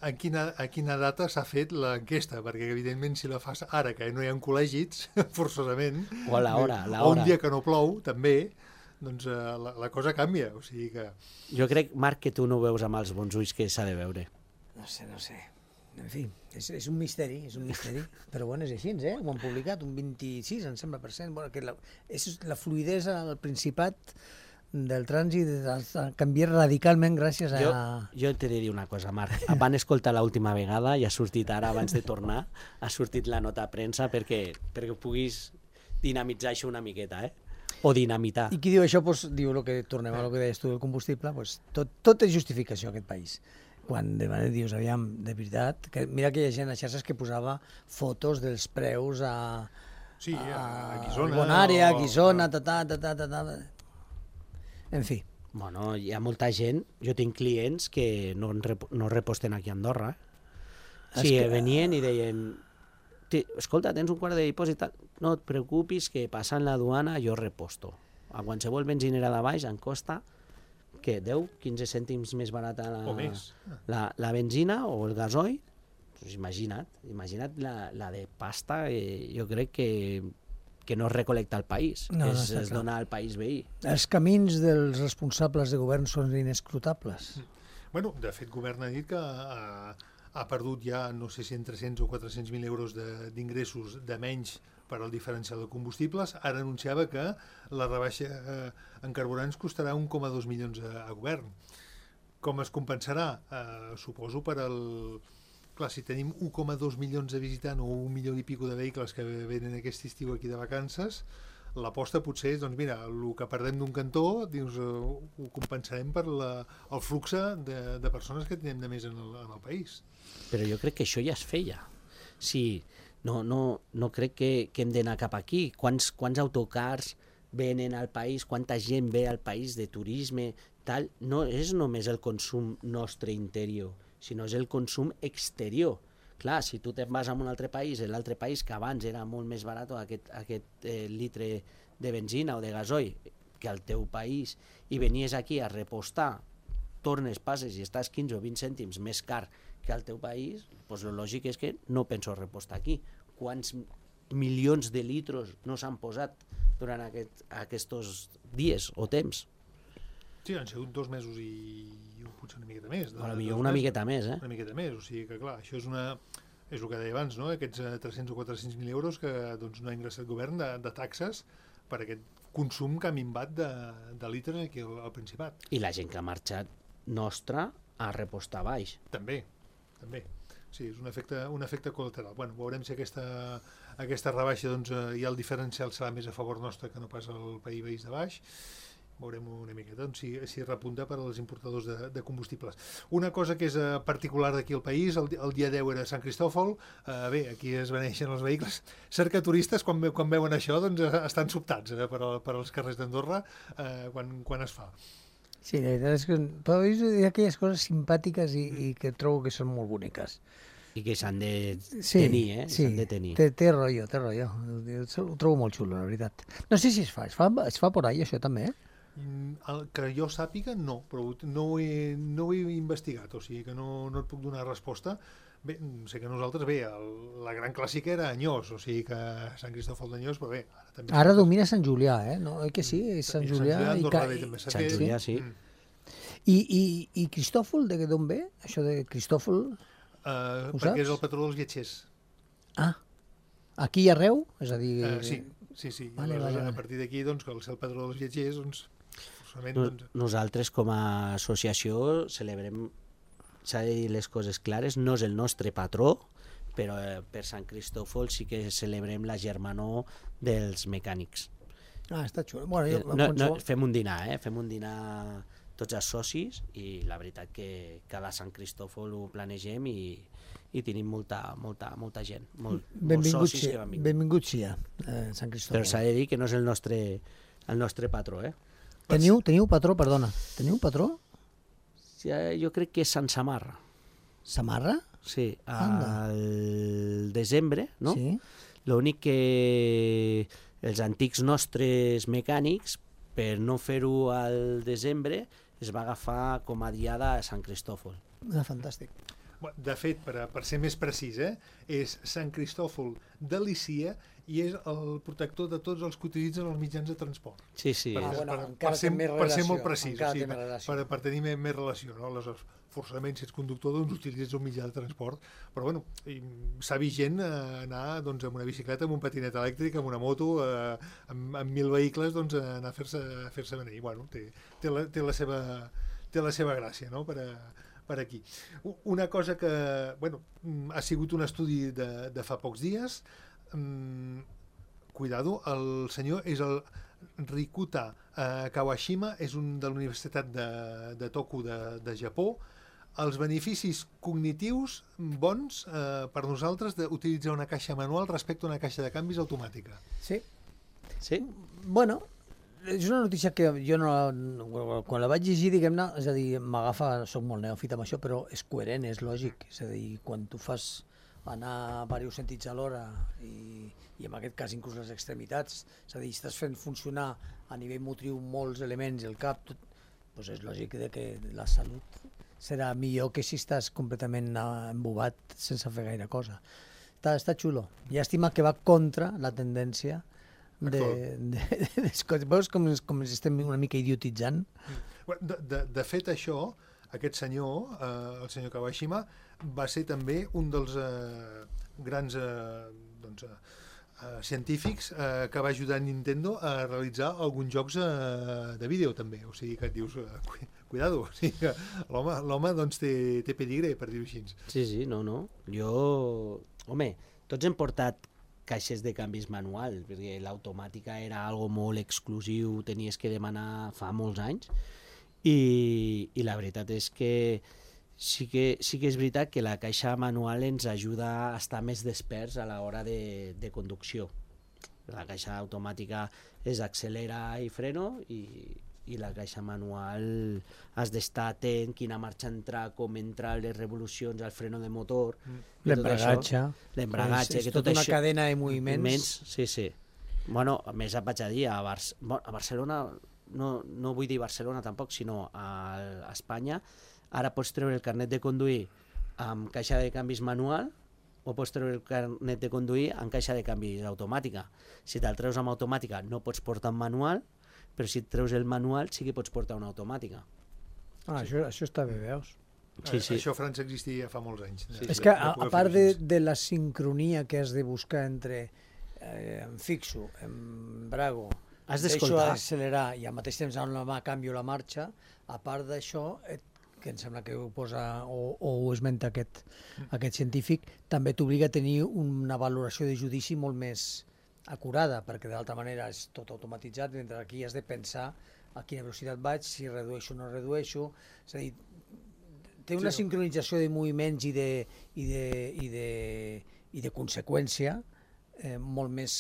A quina, a quina data s'ha fet l'enquesta? Perquè, evidentment, si la fas ara, que no hi ha col·legis, forçosament... O a l'hora, a l'hora. O un dia que no plou, també... doncs uh, la, la cosa canvia, o sigui que... Jo crec, Marc, que tu no ho veus amb els bons ulls que s'ha de veure. No sé, no sé. En fi, és, és un misteri, és un misteri, però bueno, és així, eh? Ho han publicat, un vint-i-sis, em sembla, per cent. Bueno, que la, és la fluidesa al Principat del trànsit ha canviat radicalment gràcies a... Jo, jo t'he de dir una cosa, Marc. Van escoltar l'última vegada i ha sortit ara, abans de tornar, ha sortit la nota a premsa perquè, perquè puguis dinamitzar això una miqueta, eh? O dinamitar. I qui diu això, doncs, diu el que tornem a lo que deies tu del combustible, doncs, tot, tot és justificació a aquest país. Quan de manera dius, aviam, de veritat, que mira que hi ha gent a xarxes que posava fotos dels preus a... Sí, a, a A Guissona. Bonària, a o- Guissona, ta, ta, ta, ta, ta, ta. En fi. Bueno, hi ha molta gent, jo tinc clients que no, en rep no reposten aquí a Andorra. És Sí, que- venien i deien, "Ti- escolta, tens un quart de dipòsit, tal. No et preocupis que passant la duana jo reposto. A qualsevol benzinera de baix em costa que deu, quinze cèntims més barata la, O més. la, la benzina o el gasoil. Pues imagina't, imagina't la, la de pasta, eh, jo crec que, que no es recolecta al país, No, no, que es, està es clar. dona al país veí. Els camins dels responsables de govern són inescrutables. Bueno, de fet, govern ha dit que ha, ha perdut ja, no sé si en tres-cents o quatre-cents mil euros de- d'ingressos de, de menys per al diferencial de combustibles. Ara anunciava que la rebaixa eh, en carburants costarà un coma dos milions a, a govern. Com es compensarà? Eh, suposo per al... Clar, si tenim un coma dos milions de visitants o un milió i pico de vehicles que venen aquest estiu aquí de vacances, l'aposta potser és, doncs mira, el que perdem d'un cantó dius, eh, ho compensarem per la, el flux de, de persones que tenim de més en el, en el país. Però jo crec que això ja es feia. Sí, no, no, no crec que, que hem d'anar cap aquí. Quants, quants autocars venen al país, quanta gent ve al país de turisme, tal. No és només el consum nostre interior, sinó és el consum exterior. Clar, si tu te'n vas a un altre país, l'altre país que abans era molt més barat aquest, aquest eh, litre de benzina o de gasoil que al teu país, i venies aquí a repostar, tornes, passes i estàs quinze o vint cèntims més car que al teu país, doncs el lògic és que no penso repostar aquí. Quants milions de litros no s'han posat durant aquest, aquests dies o temps? Sí, han sigut dos mesos i, i potser una miqueta més. A lo millor una miqueta més, eh? Una miqueta més, o sigui que clar, això és una... És el que deia abans, no? Aquests eh, tres-cents o quatre-cents mil euros que doncs, no ha ingressat el govern de, de taxes per aquest consum que ha minvat de, de litres aquí al, al Principat. I la gent que ha marxat nostra a repostar baix. També, també. Sí, és un efecte, un efecte col·lateral. Bueno, veurem si aquesta, aquesta rebaixa doncs, eh, ja el diferencial serà més a favor nostre que no pas al país veïns de baix. Veurem una miqueta doncs, si, si repunta per als importadors de, de combustibles. Una cosa que és eh, particular d'aquí al país, el, el dia deu era Sant Cristòfol, eh, bé, aquí es beneixen els vehicles. Cerca turistes, quan, ve, quan veuen això, doncs eh, estan sobtats eh, per, per als carrers d'Andorra eh, quan, quan es fa. Sí, la veritat és que però hi ha aquelles coses simpàtiques i, i que trobo que són molt boniques. I que s'han de Sí, tenir, eh? sí, S'han de tenir. té, té rotllo, té rotllo. Ho, ho trobo molt xulo, la veritat. No sé si es fa, es fa, es fa por ahí això també, eh? Mm, El que jo sàpiga, no, però no ho he, no ho he investigat, o sigui que no, no et puc donar resposta. Bé, sé que nosaltres, bé, el, la gran clàssica era Anyós, o sigui que Sant Cristòfol d'Anyós, però bé, ara també... Ara domina Sant Julià, eh? No, oi que sí? És Sant I Julià i, Andorra Ca- bé, també s'ha Sant fet. Julià, sí. Mm. i, i, i Cristòfol, de d'on ve? Això de Cristòfol? Uh, Ho perquè saps? és el patró dels viatgers. Ah, aquí i arreu? És a dir... Uh, sí, sí, sí. Vale, Llavors, vale, vale. a partir d'aquí, doncs, que al ser el patró dels viatgers, doncs, forçament, No, doncs, nosaltres com a associació celebrem, s'ha de dir les coses clares, no és el nostre patró, però eh, per Sant Cristòfol sí que celebrem la germanor dels mecànics. Ah, està xulo. Bueno, jo, No, no, qualsevol- fem un dinar, eh? Fem un dinar tots els socis i la veritat que cada Sant Cristòfol ho planegem i, i tenim molta, molta, molta gent, molt, molts benvingut, socis sí, que van venir. benvingut sia, eh, Sant Cristòfol. Però s'ha de dir que no és el nostre, el nostre patró, eh? Teniu, teniu patró, perdona, teniu patró? Sí, eh, jo crec que és Sant Samarra. Samarra? Sí, Anda. al desembre, no? Sí. L'únic que els antics nostres mecànics, per no fer-ho al desembre, es va agafar com a diada a Sant Cristòfol. Ah, fantàstic. Bueno, de fet, per, a- per ser més precís, eh, és Sant Cristòfol de Lícia i és el protector de tots els que utilitzen els mitjans de transport. Sí, sí. Ah, Per, bueno, per, encara per, ser, té més per ser molt relació, precís, o encara sigui, té més per, relació. per, per tenir més, més relació. No? Aleshores, forçadament, si ets conductor, doncs utilitzes un mitjà de transport. Però, bueno, s'ha vist gent anar doncs, amb una bicicleta, amb un patinet elèctric, amb una moto, eh, amb, amb mil vehicles, doncs, anar a fer-se a fer-se venir. Bueno, té, té, la, té, la seva, té la seva gràcia, no?, per, a, per aquí. Una cosa que, bueno, ha sigut un estudi de, de fa pocs dies. Um, cuidado, el senyor és el Rikuta eh, Kawashima, és un de la Universitat de, de Toku de, de Japó. Els beneficis cognitius bons eh, per nosaltres d'utilitzar una caixa manual respecte a una caixa de canvis automàtica. Sí. Sí? Bueno, és una notícia que jo no... Quan la vaig llegir, diguem-ne, és a dir, m'agafa, soc molt neòfit amb això, però és coherent, és lògic. És a dir, quan tu fas anar a diversos sentits alhora i, i en aquest cas inclús les extremitats, és a dir, estàs fent funcionar a nivell motriu molts elements i el cap, tot, doncs és lògic de que la salut serà millor que si estàs completament embobat sense fer gaire cosa. Està, està xulo. Llàstima que va contra la tendència de, de, de, de, veus com, com ens estem una mica idiotitzant? De, de, de fet, això, aquest senyor, eh, el senyor Kawashima, va ser també un dels eh, grans eh, doncs, eh, científics eh, que va ajudar Nintendo a realitzar alguns jocs eh, de vídeo també, o sigui que et dius eh, cuidado, o sigui que l'home, l'home doncs té, té pedigre, per dir-ho així. Sí, sí, no, no. Jo, home, tots hem portat caixes de canvis manual, perquè l'automàtica era algo molt exclusiu, tenies que demanar fa molts anys, i, i la veritat és que sí que, sí que és veritat que la caixa manual ens ajuda a estar més desperts a l'hora de, de conducció. La caixa automàtica és accelera i freno i, i la caixa manual has d'estar atent, quina marxa entrar, com entrar, les revolucions, el freno de motor... L'embragatge. L'embragatge, és, és que tot tota una això... cadena de moviments. moviments. Sí, sí. Bueno, a més vaig a dir, a, Bar a Barcelona, no, no vull dir Barcelona tampoc, sinó a, a Espanya, ara pots treure el carnet de conduir amb caixa de canvis manual o pots treure el carnet de conduir amb caixa de canvis automàtica. Si te'l treus amb automàtica no pots portar en manual, però si et treus el manual sí que pots portar una automàtica. Ah, sí. això, això està bé, veus? Sí, sí. Això a França existia fa molts anys. Sí, és que, a, a part de, de la sincronia que has de buscar entre eh, em fixo, em brago, has deixo accelerar i al mateix temps amb la mà canvio la marxa, a part d'això, que em sembla que ho posa o, o ho esmenta aquest, aquest científic, també t'obliga a tenir una valoració de judici molt més acurada, perquè d'altra manera és tot automatitzat, mentre aquí has de pensar a quina velocitat vaig, si redueixo o no redueixo, és a dir, té una sí, sincronització de moviments i de, i de, i de, i de conseqüència eh, molt més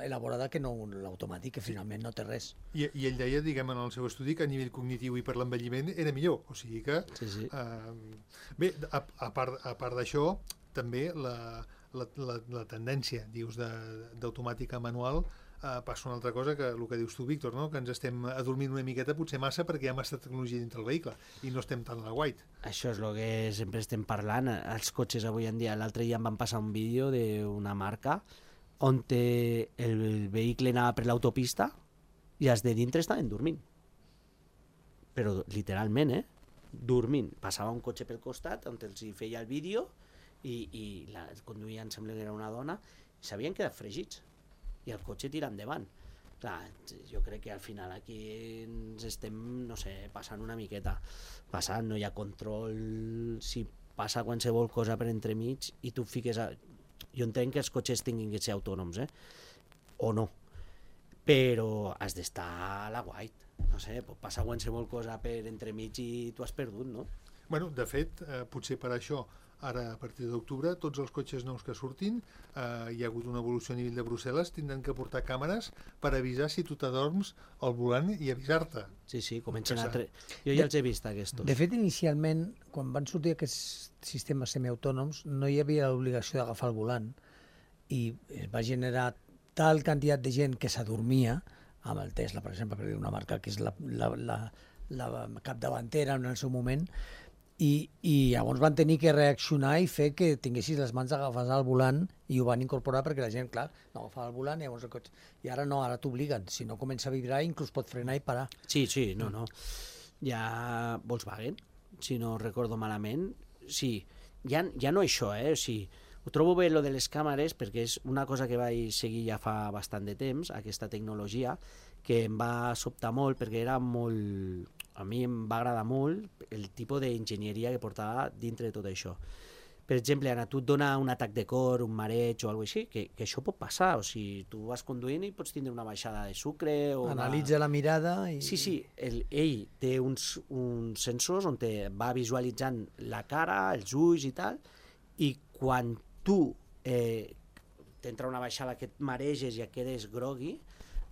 elaborada que no l'automàtic, que finalment no té res. I, i ell deia, diguem, en el seu estudi que a nivell cognitiu i per l'envelliment era millor, o sigui que... Sí, sí. Eh, bé, a, a part, a part d'això, també la, la, la, la tendència, dius, d'automàtica manual eh, passa una altra cosa que el que dius tu, Víctor, no? Que ens estem adormint una miqueta, potser massa, perquè hi ha massa tecnologia dintre el vehicle i no estem tant a la white. Això és el que sempre estem parlant. Els cotxes avui en dia, l'altre dia em van passar un vídeo d'una marca on el vehicle anava per l'autopista i els de dintre estaven dormint. Però literalment, eh? Dormint. Passava un cotxe pel costat on els feia el vídeo i, i la conduïa, em sembla que era una dona, i s'havien quedat fregits. I el cotxe tira endavant. Clar, jo crec que al final aquí ens estem, no sé, passant una miqueta. Passant, no hi ha control, si passa qualsevol cosa per entremig i tu fiques... A... Jo entenc que els cotxes tinguin que ser autònoms, eh? O no. Però has d'estar a la white. No sé, pot passar qualsevol cosa per entremig i tu has perdut, no? Bueno, de fet, eh, potser per això, ara a partir d'octubre, tots els cotxes nous que surtin, eh, hi ha hagut una evolució a nivell de Brussel·les, tindran que portar càmeres per avisar si tu t'adorms al volant i avisar-te. Sí, sí, comencen a... Tre... Jo ja els he vist, aquests. De fet, inicialment, quan van sortir aquests sistemes semiautònoms, no hi havia l'obligació d'agafar el volant i es va generar tal quantitat de gent que s'adormia, amb el Tesla, per exemple, per dir una marca que és la, la, la, la capdavantera en el seu moment, i, i llavors van tenir que reaccionar i fer que tinguessis les mans agafades al volant i ho van incorporar perquè la gent, clar, no agafava el volant i llavors el cotxe... I ara no, ara t'obliguen. Si no comença a vibrar, inclús pot frenar i parar. Sí, sí, no, no. Hi ha Volkswagen, si no recordo malament. Sí, ja, ja no això, eh? O sigui, ho trobo bé lo de les càmeres perquè és una cosa que vaig seguir ja fa bastant de temps, aquesta tecnologia, que em va sobtar molt perquè era molt... A mi em va agradar molt el tipus d'enginyeria que portava dintre de tot això. Per exemple, a tu et dona un atac de cor, un mareig o alguna cosa així, que, que això pot passar. O sigui, tu vas conduint i pots tindre una baixada de sucre o Analitza una... la mirada i... Sí, sí, el, ell té uns, uns sensors on te va visualitzant la cara, els ulls i tal, i quan tu eh, t'entra una baixada que et mareges i et quedes grogui,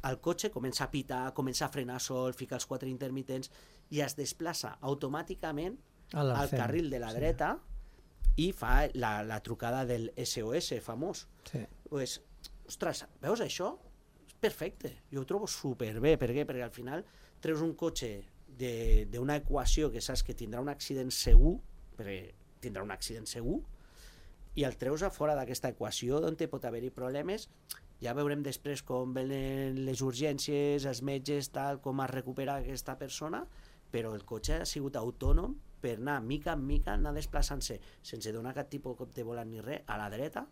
el cotxe comença a pitar, comença a frenar sol, fica els quatre intermitents i es desplaça automàticament al carril de la sí. dreta i fa la, la trucada del S O S famós. Sí. Pues, ostres, veus això? És perfecte, jo ho trobo superbé. Per què? Perquè al final treus un cotxe d'una equació que saps que tindrà un accident segur, perquè tindrà un accident segur, i el treus a fora d'aquesta equació on pot haver-hi problemes. Ja veurem després com venen les urgències, els metges, tal, com es recupera aquesta persona, però el cotxe ha sigut autònom per anar mica en mica, anar desplaçant-se sense donar cap tipus de volant ni res, a la dreta,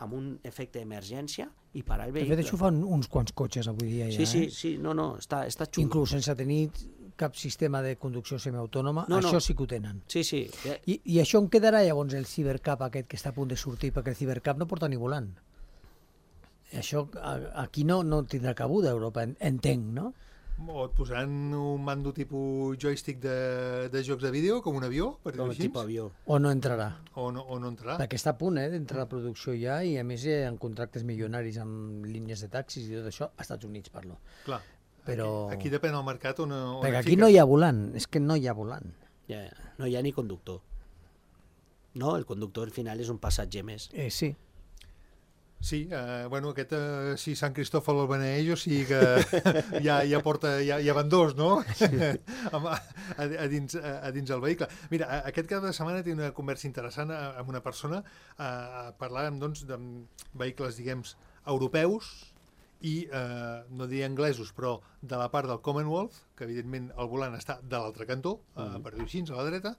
amb un efecte d'emergència i parar el De vehicle. fet, això fan uns quants cotxes avui dia ja, Sí, sí, eh? sí, no, no, està, està xulo. Inclús sense tenir cap sistema de conducció semiautònoma, No, no. això sí que ho tenen. Sí, sí. I, I això en quedarà llavors el Cybercab aquest que està a punt de sortir, perquè el Cybercab no porta ni volant. Això a- aquí no, no tindrà cabuda a Europa, en- entenc, no? O et posaran un mando tipus joystick de, de jocs de vídeo, com un avió, per Com dir-ho el així, tipus avió. O no entrarà? o no, o no entrarà. Perquè està a punt eh, d'entrar a la producció ja i a més hi ha contractes milionaris amb línies de taxis i tot això, als Estats Units parlo. Clar, Però... aquí, aquí depèn del mercat on, on Perquè et aquí fiques. no hi ha volant, és que no hi ha volant. Ja, no hi ha ni conductor. No, el conductor al final és un passatger més. Eh, sí. Sí, eh, bueno, aquest, eh, si Sant Cristòfol el beneeix, o sigui que ja, ja porta, ja, ja van dos, no? Sí. a, a, a, dins, a, a dins el vehicle. Mira, a- aquest cap de setmana tinc una conversa interessant a- amb una persona, eh, parlàvem, doncs, de vehicles, diguem, europeus i, eh, no diria anglesos, però de la part del Commonwealth, que evidentment el volant està de l'altre cantó, eh, per dir-ho així, a la dreta,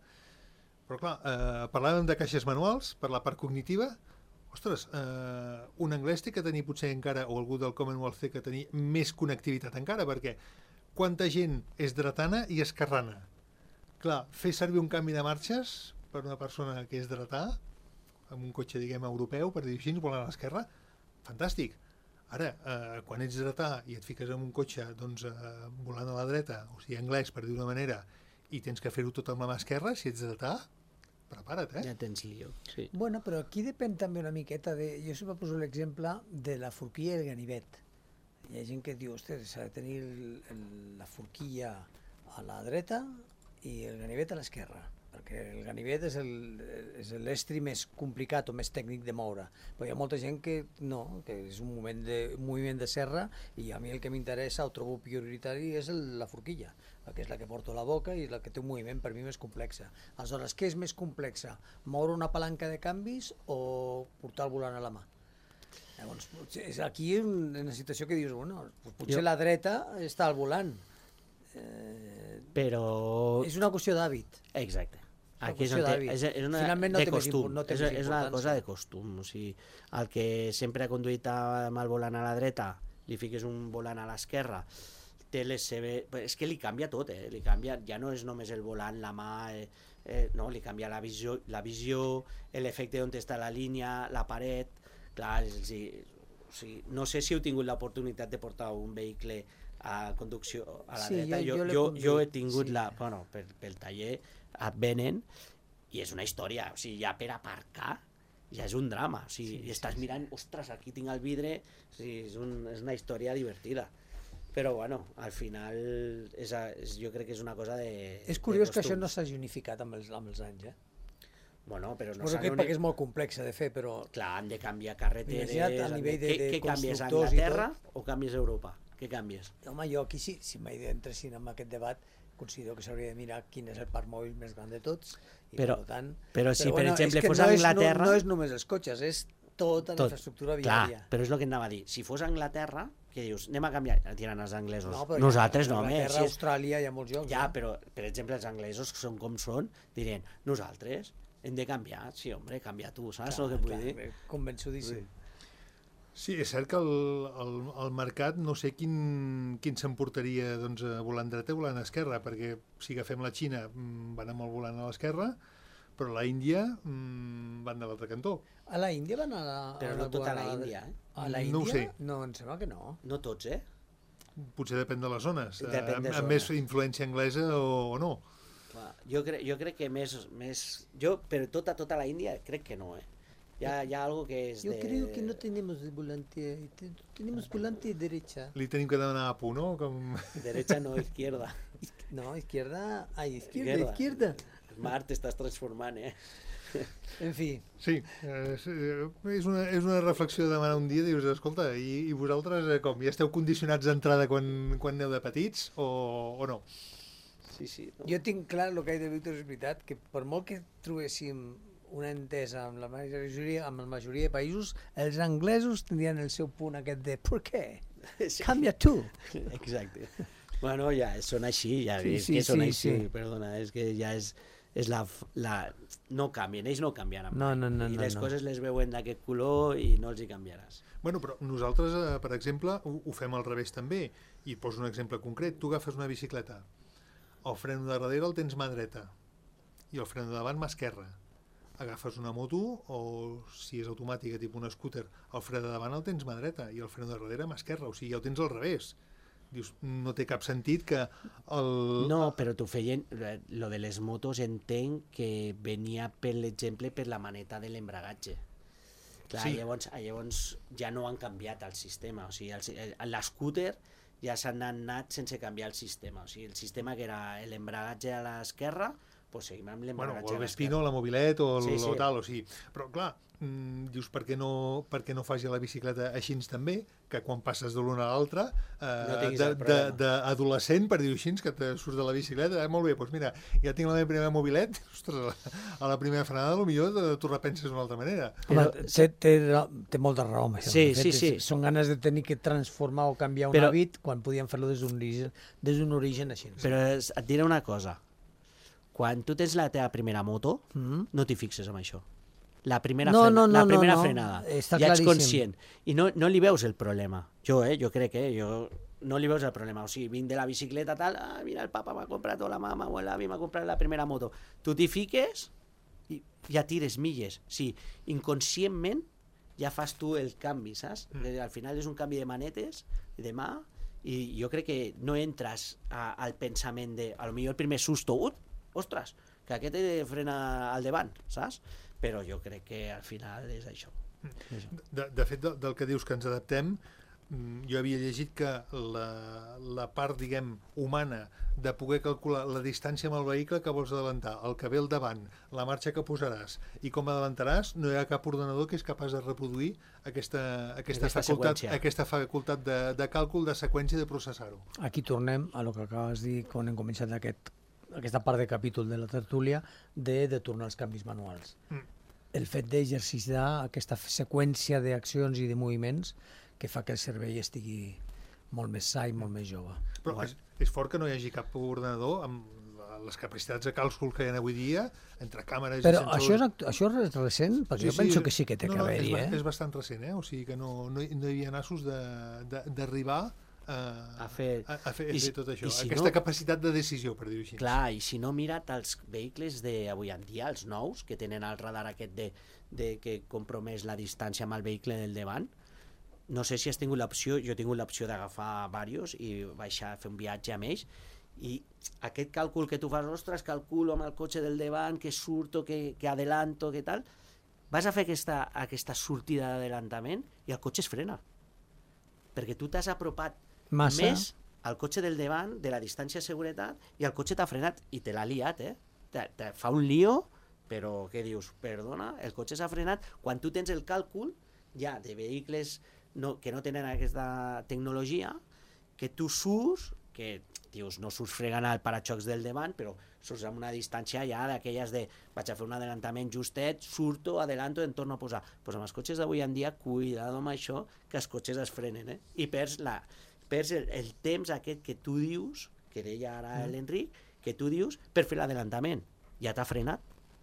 però clar, eh, parlàvem de caixes manuals per la part cognitiva. Ostres, eh, un anglès té que tenir potser encara, o algú del Commonwealth té que tenir més connectivitat encara, perquè quanta gent és dretana i esquerrana. Clar, fer servir un canvi de marxes per una persona que és dretà, amb un cotxe, diguem, europeu, per dir-ho així, volant a l'esquerra, fantàstic. Ara, eh, quan ets dretà i et fiques en un cotxe doncs, eh, volant a la dreta, o sigui, anglès, per dir-ho d'una manera, i tens que fer-ho tot amb la mà esquerra, si ets dretà, prepara't, eh? Ja tens lío. Sí. Bueno, però aquí depèn també una miqueta de... Jo sempre poso l'exemple de la forquilla i el ganivet. Hi ha gent que diu, ostres, s'ha de tenir el, el, la forquilla a la dreta i el ganivet a l'esquerra, perquè el ganivet és el- és l'estri més complicat o més tècnic de moure. Però hi ha molta gent que no, que és un moment de, un moviment de serra i a mi el que m'interessa o trobo prioritari és el, la forquilla, que és la que porto a la boca i la que té un moviment per mi més complexa. Aleshores, què és més complexa? Moure una palanca de canvis o portar el volant a la mà? Llavors, potser és aquí un- una situació que dius, bueno, potser Jo- la dreta està al volant. Eh, Però... és una qüestió d'hàbit. Exacte. Una Aquí és, qüestió on té, d'hàbit. és, és una, Finalment no de té més costum, impor- no té és, més és una importància. cosa de costum. O sigui, el que sempre ha conduït amb el volant a la dreta, li fiques un volant a l'esquerra, té les seves... És que li canvia tot, eh? Li canvia, ja no és només el volant, la mà, eh, eh, no, li canvia la visió, la visió l'efecte on està la línia, la paret... Clar, o sigui, o sigui, no sé si heu tingut l'oportunitat de portar un vehicle a conducció a la Sí, dreta. jo- Jo, jo l'he jo, jo he conduït, tingut sí. la... Bueno, per, pel taller et venen i és una història, o sigui, ja per aparcar ja és un drama, o sigui, Sí, i estàs sí, sí. mirant, ostres, aquí tinc el vidre, o sigui, és, un, és una història divertida. Però, bueno, al final és, a- és, jo crec que és una cosa de... És curiós de que això costums. no s'hagi unificat amb els, amb els anys, eh? Bueno, però no Suposo s'han que uni- perquè és molt complexa de fer, però... Clar, han de canviar carreteres... Imagina't a han nivell de- què, de què canvies, constructors i Anglaterra o canvies Europa? Què canvies? Home, jo aquí sí, si mai entressin en aquest debat, considero que s'hauria de mirar quin és el parc mòbil més gran de tots. I Però- per tant, però si, per exemple, és que fos no és- Anglaterra- No, no és només els cotxes, és tota la Tot. infraestructura Clar, viària. però és el que anava a dir. Si fos Anglaterra, que dius, anem a canviar, tiren els anglesos. No, però nosaltres ja, no, home. Anglaterra, Si és... Austràlia, hi ha molts jocs. Ja, eh? però, per exemple, els anglesos, que són com són, dirien, nosaltres hem de canviar. Sí, home, canvia tu, saps el que vull dir? Clar, convençudíssim. Sí, és cert que el, el, el mercat no sé quin, quin s'emportaria doncs, a volant dreta o volant esquerra, perquè si agafem la Xina van amb el volant a l'esquerra, però la Índia mmm, van de l'altre cantó. A la Índia van a la... Però a no tota la a Índia, eh? A la Índia? No ho sé. No, em sembla que no. No tots, eh? Potser depèn de les zones, Depèn de amb, amb zones. més influència anglesa o, o no. Clar, jo, cre jo crec que més, més... Jo, però tota, tota la Índia, crec que no, eh? Hi ha, hi ha algo que és Yo de... creo que no tenemos volante, te- tenemos volante derecha. Li tenim que demanar a pu, no? Com... Derecha no, izquierda. No, izquierda, ay, izquierda, Izquierda. izquierda. Mar, t'estàs transformant, eh? En fi, Sí, és, és, una, és una reflexió de demanar un dia, dius, escolta, i, i vosaltres eh, com, ja esteu condicionats d'entrada quan, quan aneu de petits o, o no? Sí, sí. No? jo tinc clar el que ha dit Víctor, és veritat, que per molt que trobéssim una entesa amb la majoria, amb la majoria de països, els anglesos tindrien el seu punt aquest de ¿por qué? Sí. Canvia tu. Exacte. Bueno, ja són així, ja Sí, és sí, que són sí, així, sí. perdona, és que ja és, és la, la... No canvien, ells no canviaran No, mai. no, no, I no, les no. coses les veuen d'aquest color i no els hi canviaràs. Bueno, però nosaltres, eh, per exemple, ho, ho fem al revés també. I et poso un exemple concret. Tu agafes una bicicleta, el fren de darrere el tens mà dreta i el fren de davant mà esquerra. Agafes una moto o, si és automàtica, tipus un scooter, el fre de davant el tens mà dreta i el fren de darrere mà esquerra. O sigui, ja ho tens al revés. Dius, no té cap sentit que el... No, però t'ho feien... Lo de les motos entenc que venia, per l'exemple, per la maneta de l'embragatge. Clar, Sí. llavors, llavors ja no han canviat el sistema. O sigui, l'escúter ja s'han anat sense canviar el sistema. O sigui, el sistema que era l'embragatge a l'esquerra, doncs seguim amb Bueno, l'embragatge o el a Vespino, l'esquerra. la mobilet o el Sí, sí. o tal, o sigui... Però, clar, mm, dius, per què, no, per què no faci la bicicleta així també, que quan passes de l'una a l'altra, No eh, tinguis de- el problema. de- d'adolescent, per dir-ho així, que te surts de la bicicleta, eh, molt bé, doncs mira, ja tinc la meva primera mobilet, ostres, a la primera frenada, potser tu repenses d'una altra manera. Home, té, té, té molta raó amb això. Sí, De fet, sí, sí. és- Són ganes de tenir que transformar o canviar un Però- hàbit quan podien fer-lo des d'un origen, des d'un origen així. Però es- et diré una cosa. Quan tu tens la teva primera moto, Mm. no t'hi fixes en això. La primera, No, frena, no, no, la no, primera no. frenada. Està ja ets claríssim. conscient. I no, no li veus el problema. Jo, eh, jo crec que eh, jo no li veus el problema. O sigui, vinc de la bicicleta, tal, ah, mira, el papa m'ha comprat, o la mama, o l'avi m'ha comprat la primera moto. Tu t'hi fiques i ja tires milles. Sí, inconscientment ja fas tu el canvi, saps? Mm. Al final és un canvi de manetes, de mà, i jo crec que no entres a, al pensament de, a lo millor el primer susto, ut, ostres, que aquest he de frena al davant, saps? Però jo crec que al final és això. De, de fet, de, del que dius que ens adaptem, mm, jo havia llegit que la, la part, diguem, humana de poder calcular la distància amb el vehicle que vols adelantar, el que ve al davant, la marxa que posaràs i com adelantaràs, no hi ha cap ordenador que és capaç de reproduir aquesta, aquesta, Aquesta facultat, seqüència. aquesta facultat de, de càlcul, de seqüència, de processar-ho. Aquí tornem a lo que acabes de dir quan hem començat aquest, aquesta part de capítol de la tertúlia de, de tornar als canvis manuals. Mm. El fet d'exercitar aquesta seqüència d'accions i de moviments que fa que el cervell estigui molt més sa i molt més jove. Però és, és fort que no hi hagi cap ordenador amb la- les capacitats de càlcul que hi ha avui dia, entre càmeres Però i sensors... això és, actu- això és recent? Perquè jo penso que sí que té no, que no, haver-hi, és, ba- eh? és bastant recent, eh? O sigui que no, no, hi- no hi havia nassos de- de- d'arribar a, A fer- a, a fer, a i fer si- tot això. i si Aquesta no- capacitat de decisió, per dir-ho així. Clar, i si no, mira't els vehicles d'avui en dia, els nous, que tenen el radar aquest de, de que compromès la distància amb el vehicle del davant. No sé si has tingut l'opció, jo he tingut l'opció d'agafar diversos i baixar a fer un viatge amb ells, i aquest càlcul que tu fas, ostres, calculo amb el cotxe del davant, que surto, que, que adelanto, que tal, vas a fer aquesta, aquesta sortida d'adelantament i el cotxe es frena. Perquè tu t'has apropat Massa. més al cotxe del davant, de la distància de seguretat, i el cotxe t'ha frenat i te l'ha liat, eh? Te, te fa un lío, però què dius? Perdona, el cotxe s'ha frenat. Quan tu tens el càlcul ja de vehicles no, que no tenen aquesta tecnologia, que tu surts, que dius, no surts fregant al paraxocs del davant, però surts amb una distància ja d'aquelles de vaig a fer un adelantament justet, surto, adelanto i em torno a posar. Pues amb els cotxes d'avui en dia, cuidado amb això, que els cotxes es frenen, eh? I perds, la, perds el, el temps aquest que tu dius, que deia ara mm. l'Enric, que tu dius per fer l'adelantament. Ja t'ha frenat,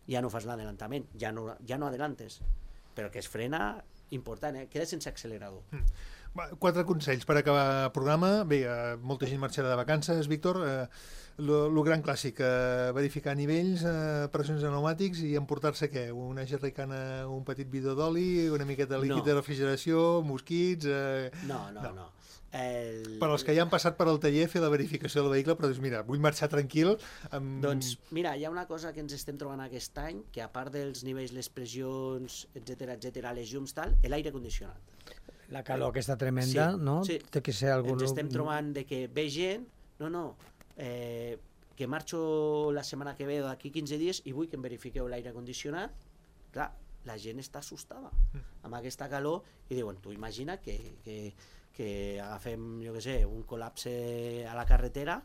ja no fas l'adelantament, ja no, ja no adelantes. Però que es frena, important, eh? Queda sense accelerador. Mm. Quatre consells per acabar el programa. Bé, eh, molta gent marxarà de vacances, Víctor. Eh, lo, lo gran clàssic, eh, verificar nivells, eh, pressions de pneumàtics i emportar-se què? Una jerrycana, un petit bidó d'oli, una miqueta de líquid no. de refrigeració, mosquits... Eh... No, no, no. no. El... Per als que ja han passat per al taller fer la verificació del vehicle, però dius, mira, vull marxar tranquil. Amb... Doncs mira, hi ha una cosa que ens estem trobant aquest any, que a part dels nivells, les pressions, etcètera, etcètera, les llums, tal, l'aire condicionat. La calor aquesta tremenda, sí, no? Sí. Té que ser algun... Ens estem trobant de que ve gent, no, no, eh, que marxo la setmana que ve o d'aquí quinze dies i vull que em verifiqueu l'aire condicionat. Clar, la gent està assustada amb aquesta calor i diuen, tu imagina que, que, que agafem, jo què sé, un col·lapse a la carretera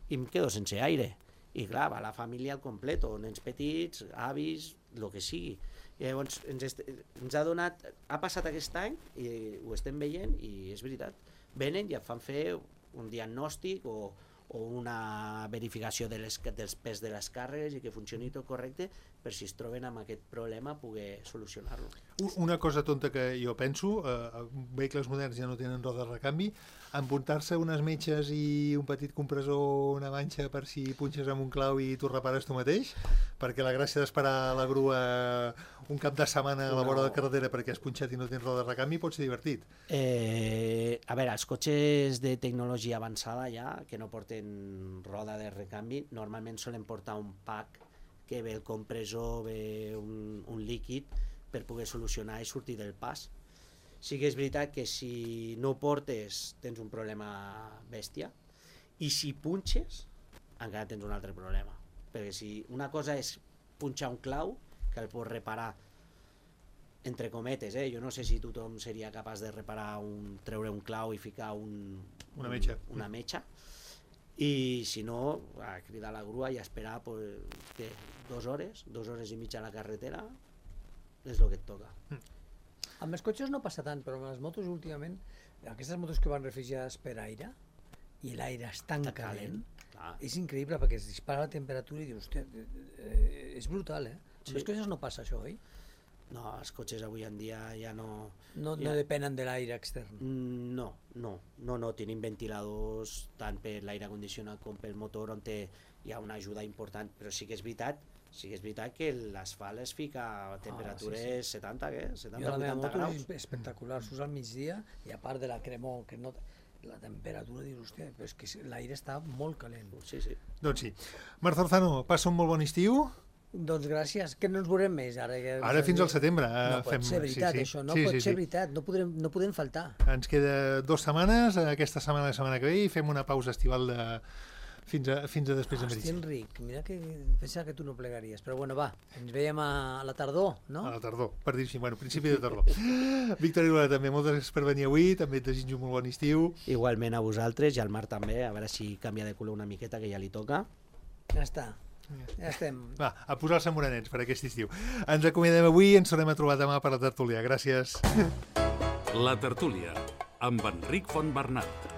i em quedo sense aire. I clar, va la família al complet, nens petits, avis, el que sigui. I llavors ens, est... ens ha donat, ha passat aquest any i ho estem veient i és veritat, venen i et fan fer un diagnòstic o, o una verificació de les, dels pes de les càrregues i que funcioni tot correcte per si es troben amb aquest problema poder solucionar-lo. Una cosa tonta que jo penso, eh, vehicles moderns ja no tenen roda de recanvi, empuntar-se unes metges i un petit compressor, una manxa per si punxes amb un clau i tu repares tu mateix, perquè la gràcia d'esperar la grua un cap de setmana a la vora de la carretera perquè has punxat i no tens roda de recanvi pot ser divertit. Eh, a veure, els cotxes de tecnologia avançada ja, que no porten roda de recanvi, normalment solen portar un pack que ve el compressor, ve un, un líquid per poder solucionar i sortir del pas. Sí que és veritat que si no portes tens un problema bèstia i si punxes encara tens un altre problema, perquè si una cosa és punxar un clau que el pots reparar entre cometes, eh? Jo no sé si tothom seria capaç de reparar un, treure un clau i ficar un, una metxa, un, una metxa. I si no, a cridar la grua i esperar pues, que dues hores, dues hores i mitja a la carretera és el que et toca. Mm. Amb els cotxes no passa tant, però amb les motos últimament, aquestes motos que van refrigerades per aire, i l'aire és tan Està calent, calent. És increïble perquè es dispara la temperatura i dius, hòstia, eh, és brutal, eh? Amb sí. els cotxes no passa això, oi? No, els cotxes avui en dia ja no... No, ja... no depenen de l'aire extern? No, no, no, no, tenim ventiladors tant per l'aire condicionat com pel motor on té, hi ha una ajuda important, però sí que és veritat Sí que és veritat que l'asfalt es fica a temperatures ah, sí, sí. setanta, què? setanta, vuitanta graus. És espectacular, surts al migdia i a part de la cremor, que no, la temperatura, dius, hòstia, però és que l'aire està molt calent. Sí, sí. Doncs sí. Marta Orzano, passa un molt bon estiu. Doncs gràcies, que no ens veurem més ara. Que ara fins al setembre. No pot fem... ser veritat, sí, sí. això, no sí, pot sí, ser sí. veritat, no podrem, no podem faltar. Ens queda dues setmanes, aquesta setmana, la setmana que ve, i fem una pausa estival de... Fins a, fins a després de Hòstia, Enric, mira que pensava que tu no plegaries, però bueno, va, ens veiem a la tardor, no? A la tardor, per dir-ho així, bueno, principi de tardor. Víctor Iguala també, moltes gràcies per venir avui, també et desitjo un molt bon estiu. Igualment a vosaltres i al Marc també, a veure si canvia de color una miqueta, que ja li toca. Ja està, ja estem. Va, a posar-se morenets per aquest estiu. Ens acomiadem avui, ens tornem a trobar demà per la tertúlia. Gràcies. La tertúlia, amb Enric Fontbernat.